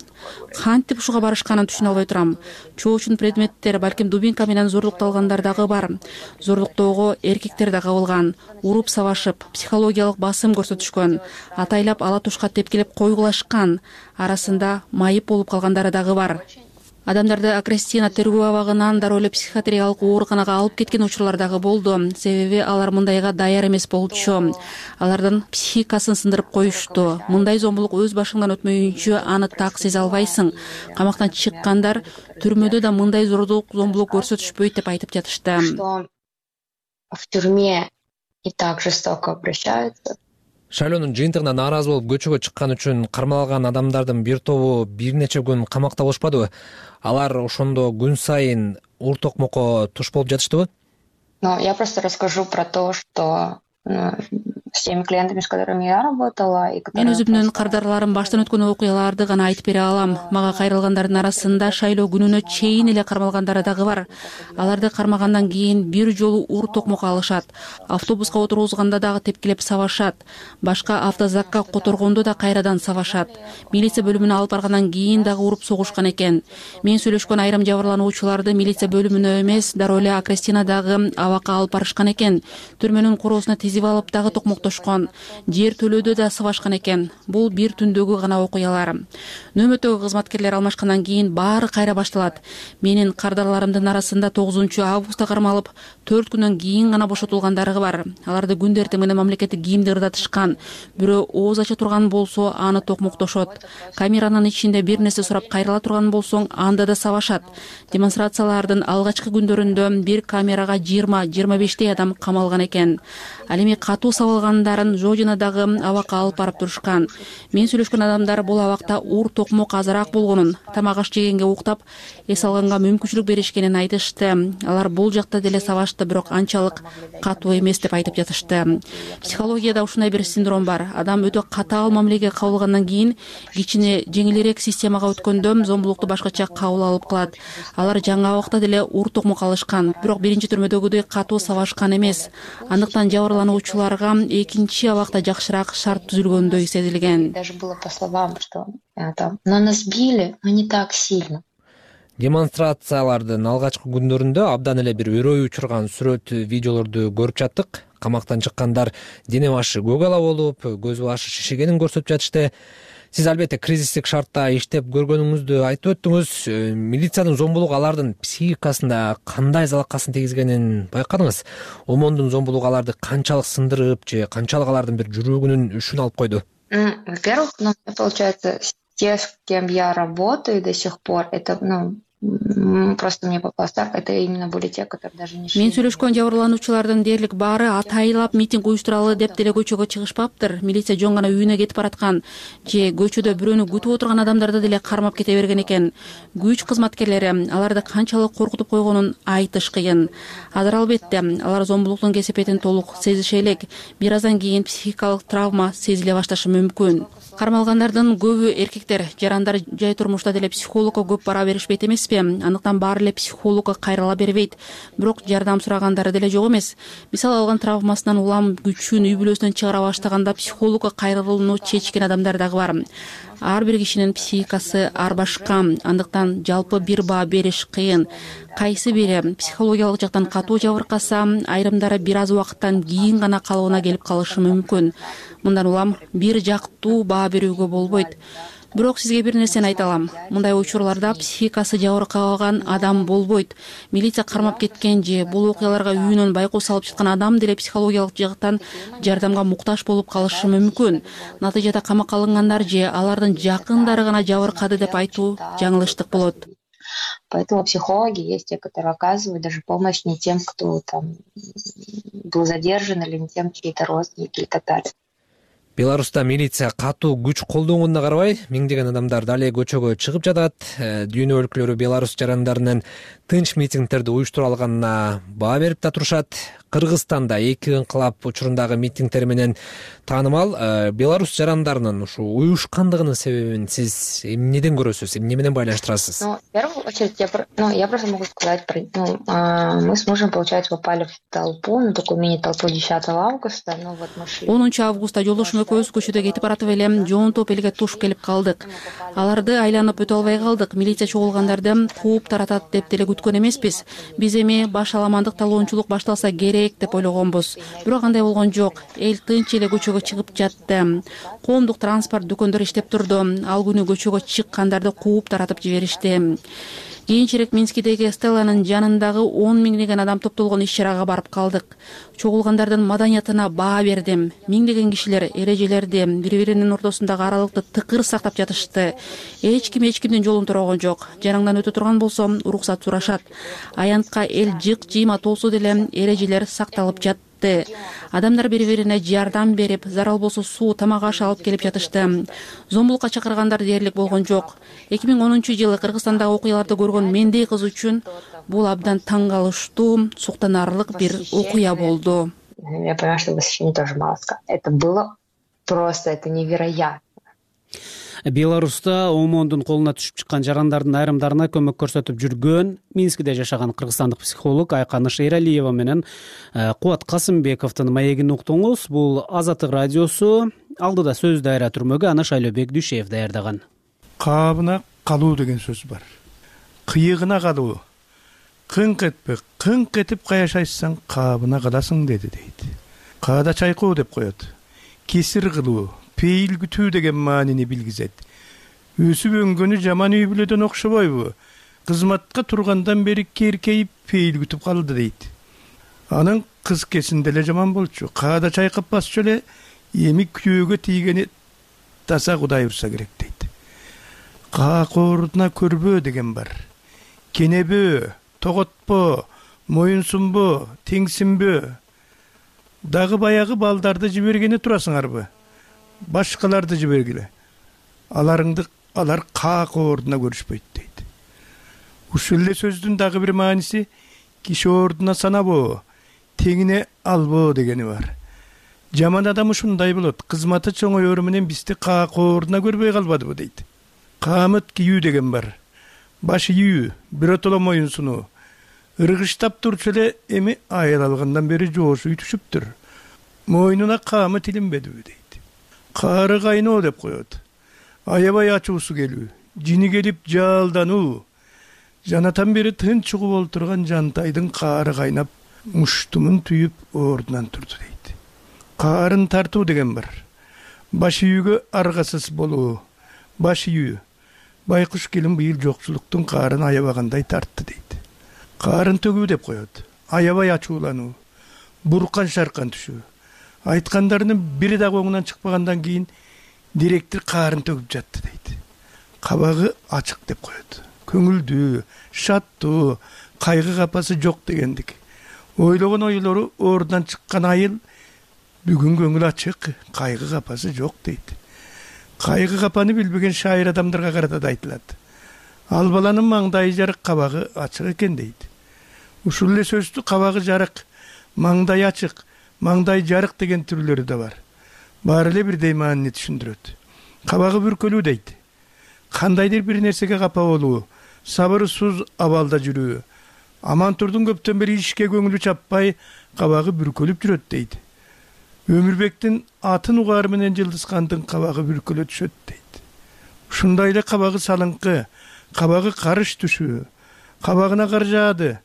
Кантип ушуга барышканын түшүнө албай турам. Чоочун предметтер, балким дубинка менен зорлукталгандар дагы бар. Зорлуктоого эркектер да кабылган. Уруп сабашып, психологиялык басым көрсөтүшкөн. Атайлап ала тушка тепкилеп койгулашкан. Арасында майып болуп калгандары дагы бар. Адамдарды Акрестина тергөө абагынан дароо эле психиатриялык ооруканага алып кеткен учурлар дагы болду. Себеби алар мындайга даяр эмес болчу. Алардын психикасын сындырып коюшту. Мындай зомбулук өз башыңдан өтмөйүнчө аны так сезе албайсың. Камактан чыккандар түрмөдө да мындай зомбулук көрсөтүшпөйт деп айтып жатышты. В тюрьме и так жестоко обращаются. Шайлоонун жыйынтыгына нааразы болуп көчөгө чыккан үчүн кармалган адамдардын бир тобу бир нече күн камакта болушпадыбы? Алар ошондо күн сайын оор токмокко туш болуп жатыштыбы? Я просто расскажу про то, что с теми клиентами, с которыми я работала, и Мен өзүмдүн кардарларым баштан өткөн окуяларды гана айтып бере алам. Мага кайрылгандардын арасында шайлоо күнүнө чейин эле кармалгандары дагы бар. Аларды кармагандан кийин бир жолу оор токмок алышат. Автобуска отургузганда дагы тепкилеп сабашат. Башка автозакка которгондо да кайрадан сабашат. Милиция бөлүмүнө алып баргандан кийин дагы уруп согушкан экен. Мен сүйлөшкөн айрым жабырлануучуларды милиция бөлүмүнө эмес, дароо эле Акрестинадагы абакка алып барышкан экен. Түрмөнүн короосуна тизип алып дагы токмоктошкон. Жер төлөөдө да сабашкан экен. Бул бир түндөгү гана окуялар. Нөмөтөгү кызматкерлер алмашкандан кийин баары кайра башталат. Менин кардарларымдын арасында 9 августта кармалып, 4 күндөн кийин гана бошотулгандары бар. Аларды күндө эртең менен мамлекеттик кийимди ырдатышкан. Бирөө ооз ача турган болсо, аны токмоктошот. Камеранын ичинде бир нерсе сурап кайрыла турган болсоң, анда да сабашат. Демонстрациялардын алгачкы күндөрүндө бир камерага 20-25 адам камалган экен. Ал эми катуу сабалгандарын Жожинадагы абакка алып барып турушкан. Мен сүйлөшкөн адамдар бул абакта оор токмок азыраак болгонун, тамак аш жегенге уктап, эс алганга мүмкүнчүлүк беришкенин айтышты. Алар бул жакта деле сабашты, бирок анчалык катуу эмес деп айтып жатышты. Психологияда ушундай бир синдром бар. Адам өтө катаал мамилеге кабылгандан кийин кичине жеңилирээк системага өткөндө зомбулукту башкача кабыл алып калат. Алар жаңы абакта деле оор токмок алышкан, бирок биринчи түрмөдөгүдөй катуу сабашкан эмес. Андыктан жабырлануучуларга экинчи абакта жакшыраак шарт түзүлгөндөй сезилген. Даже было по словам, что но нас били, но не так сильно. Демонстрациялардын алгачкы күндөрүндө абдан эле бир өрөй учурган сүрөт, видеолорду көрүп жаттык. Камактан чыккандар дене башы көк ала болуп, көз башы шишигенин көрсөтүп жатышты. Сиз албетте кризистик шартта иштеп көргөнүңүздү айтып өттүңүз. Милициянын зомбулугу алардын психикасында кандай залакасын тийгизгенин байкадыңыз? ОМОНдун зомбулугу аларды канчалык сындырып же канчалык алардын бир жүрөгүнүн үшүн алып койду? Во-первых, получается, те, с кем я работаю до сих пор, это, просто мне попалось так, это именно были те, которые даже не шли. Мен сүйлөшкөн жабырлануучулардын дээрлик баары атайлап митинг уюштуралы деп деле көчөгө чыгышпаптыр. Милиция жөн гана үйүнө кетип бараткан же көчөдө бирөөнү күтүп отурган адамдарды деле кармап кете берген экен. Күч кызматкерлери аларды канчалык коркутуп койгонун айтыш кыйын. Азыр албетте алар зомбулуктун кесепетин толук сезише элек. Бир аздан кийин психикалык травма сезиле башташы мүмкүн. Кармалгандардын көбү эркектер, жарандар жай турмушта деле психологко көп бара беришпейт эмеспи? Андыктан баары эле психологко кайрыла бербейт. Бирок жардам сурагандары деле жок эмес. Мисалы алган травмасынан улам күчүн үй бүлөсүнөн чыгара баштаганда психологко кайрылууну чечкен адамдар дагы бар. Ар бир кишинин психикасы ар башка, андыктан жалпы бир баа бериш кыйын. Кайсы бири психологиялык жактан катуу жабыркаса, айрымдары бир аз убакыттан кийин гана калыбына келип калышы мүмкүн. Мындан улам бир жактуу баа берүүгө болбойт. Бирок сизге бир нерсени айта алам. Мындай учурларда психикасы жабыркабаган адам болбойт. Милиция кармап кеткен же бул окуяларга үйүнөн байкоо салып жаткан адам деле психологиялык жактан жардамга муктаж болуп калышы мүмкүн. Натыйжада камакка алынгандар же алардын жакындары гана жабыркады деп айтуу жаңылыштык болот. Поэтому психологи есть те, которые оказывают даже помощь не тем, кто там был задержан, или не тем, чьи-то родственники и так далее. Беларуста милиция катуу күч колдонгонуна карабай, миңдеген адамдар дале көчөгө чыгып жатат. Дүйнө өлкөлөрү Беларусь жарандарынын тынч митингдерди уюштура алганына баа берип да турушат. Кыргызстанда 2 ыңкылап учурундагы митингдер менен таанымал Беларусь жарандарынын ушу уюшкандыгынын себебин сиз эмнеден көрөсүз, эмне менен байланыштырасыз? В первую очередь, я просто могу сказать, мы с мужем, получается, попали в толпу, на такую мини-толпу 10 августа, мы шли. 10 августта жолдошум экөөбүз көчөдө кетип баратып эле жоонтоп элге туш келип калдык. Аларды айланып өтө албай калдык. Милиция чогулгандарды кууп таратат деп деле күткөн эмеспиз. Биз эми баш аламандык талоончулук башталса керек деп ойлогонбуз. Бирок андай болгон жок. Эл тынч эле көчөгө чыгып жатты. Коомдук транспорт дүкөндөр иштеп турду. Ал күнү көчөгө чыккандарды кууп таратып жиберишти. Кийинчерээк Минскидеги Стелланын жанындагы 10 миңдеген адам топтолгон иш-чарага барып калдык. Чогулгандардын маданиятына баа бердим. Миңдеген кишилер эрежелерди, бири-биринин ортосундагы аралыкты тыкыр сактап жатышты. Эч кимдин жолун турган жок. Жаныңдан өтө турган болсо, уруксат сурашат. Аянтка эл жык-жыйма толсо деле эрежелер сакталып жатты. Адамдар бири-бирине жардам берип, зарал болсо суу, тамак аш алып келип жатышты. Зомбулукка чакыргандар дээрлик болгон жок. 2010-жылы Кыргызстандагы окуяларды көргөн мендей кыз үчүн бул абдан таң калыштуу, суктанарлык бир окуя болду. Я понимаю, что восхищение тоже мало сказать. Это было просто, это невероятно. Беларуста ОМОНдун колуна түшүп чыккан жарандардын айрымдарына көмөк көрсөтүп жүргөн Минскиде жашаган кыргызстандык психолог Айканыш Эралиева менен Кубат Касымбековдун маегин уктуңуз. Бул Азаттык радиосу. Алдыда сөз дайра түрмөгү аны Шайлообек Дүйшеев даярдаган. Кабына калуу деген сөз бар. Кыйыгына калуу. Кыңк этпе, кыңк этип каяшайсаң кабына каласың дейт. Каада чайкоо деп коет. Кесир кылуу, пейил күтүү деген маанини билгизет. Өсүп өнгөнү жаман үй бүлөдөн окшобойбу? Кызматка тургандан бери керкейип пейил күтүп калды дейт. Анын кыз кесинде эле жаман болчу. Каада чайкап басчу эле эми күйөөгө тийгени таса Кудай урса керек дейт. Каакоордуна көрбөө деген бар. Кенебөө, тоготпо, моюнсунбо, теңсинбөө. Дагы баягы балдарды жибергени турасыңарбы? Башкаларды жибергиле. Алар каакоордуна көрүшпөйт дейт. Ушул эле сөздүн дагы бир мааниси киши ордуна санабоо, теңине албоо дегени бар. Жаман адам ушундай болот. Кызматы чоңоёру менен бизди каакоордуна көрбөй калбадыбы дейт. Камыт кийүү деген бар. Баш ийүү, биротоло моюнсунуу. Ыргыштап турчу эле эми айыл алгандан бери жоошу түшүптүр. Мойнуна камыт илинбедиби дейт. Каары кайноо деп коет. Аябай ачуусу келүү, жини келип жалдануу. Жанатан бери тынч угуп олтурган жантайдын каары кайнап, муштумун түйүп ордунан турду дейт. Каарын тартуу деген бар. Баш ийүүгө аргасыз болуу. Баш ийүү. Байкуш келин быйыл жокчулуктун каарын аябагандай тартты дейт. Каарын төгүү деп коет. Аябай ачуулануу. Буркан шаркан түшүү. Айткандарынын бири дагы оңунан чыкпагандан кийин директор каарын төгүп жатты дейт. Кабагы ачык деп коет. Көңүлдүү, шаттуу, кайгы капасы жок дегендик. Ойлогон ойлору ордунан чыккан айыл бүгүн көңүл ачык, кайгы капасы жок дейт. Кайгы капаны билбеген шайыр адамдарга карата да айтылат. Ал баланын маңдайы жарык, кабагы ачык экен дейт. Ушул эле сөздү кабагы жарык, маңдай ачык, маңдай жарык деген түрлөрү да бар. Баары эле бирдей маанини түшүндүрөт. Кабагы бүркөлүү дейт. Кандайдыр бир нерсеге капа болуу, сабырсыз абалда жүрүү. Амантурдун көптөн бери ишке көңүлү чаппай, кабагы бүркөлүп жүрөт дейт. Өмүрбектин атын угары менен Жылдызкандын кабагы бүркөлө түшөт дейт. Ушундай эле кабагы салыңкы, кабагы карыш түшүү, кабагына кар жаады,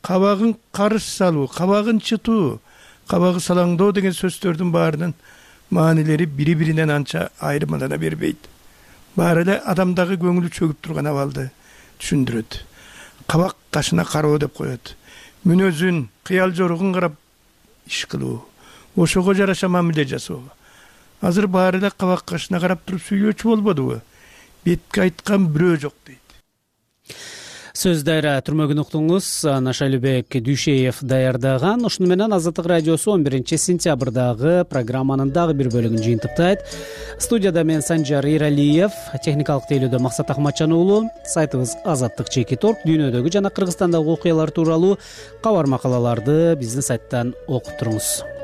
кабагын карыш салуу, кабагын чытуу, кабагы салаңдоо деген сөздөрдүн баарынын маанилери бири-биринен анча айырмалана бербейт. баары эле адамдагы көңүлү чөгүп турган абалды түшүндүрөт. Кабак кашына кароо деп коет. Мүнөзүн, кыял жоругун карап иш кылуу, ошого жараша мамиле жасоо. Азыр баары эле кабак кашына карап туруп сүйлөөчү болбодубу? Бетке айткан бирөө жок дейт. Сөз дайра түрмөгүн уктуңуз. Шайлообек Дүйшеев даярдаган. Ушуну менен Азаттык радиосу 11 сентябрдагы программанын дагы бир бөлүгүн жыйынтыктайт. Студияда мен Санжар Иралиев, техникалык тейлөөдө Максат Ахматжан уулу. Сайтыбыз Азаттык.org. Дүйнөдөгү жана Кыргызстандагы окуялар тууралуу кабар макалаларды биздин сайттан окуп туруңуз.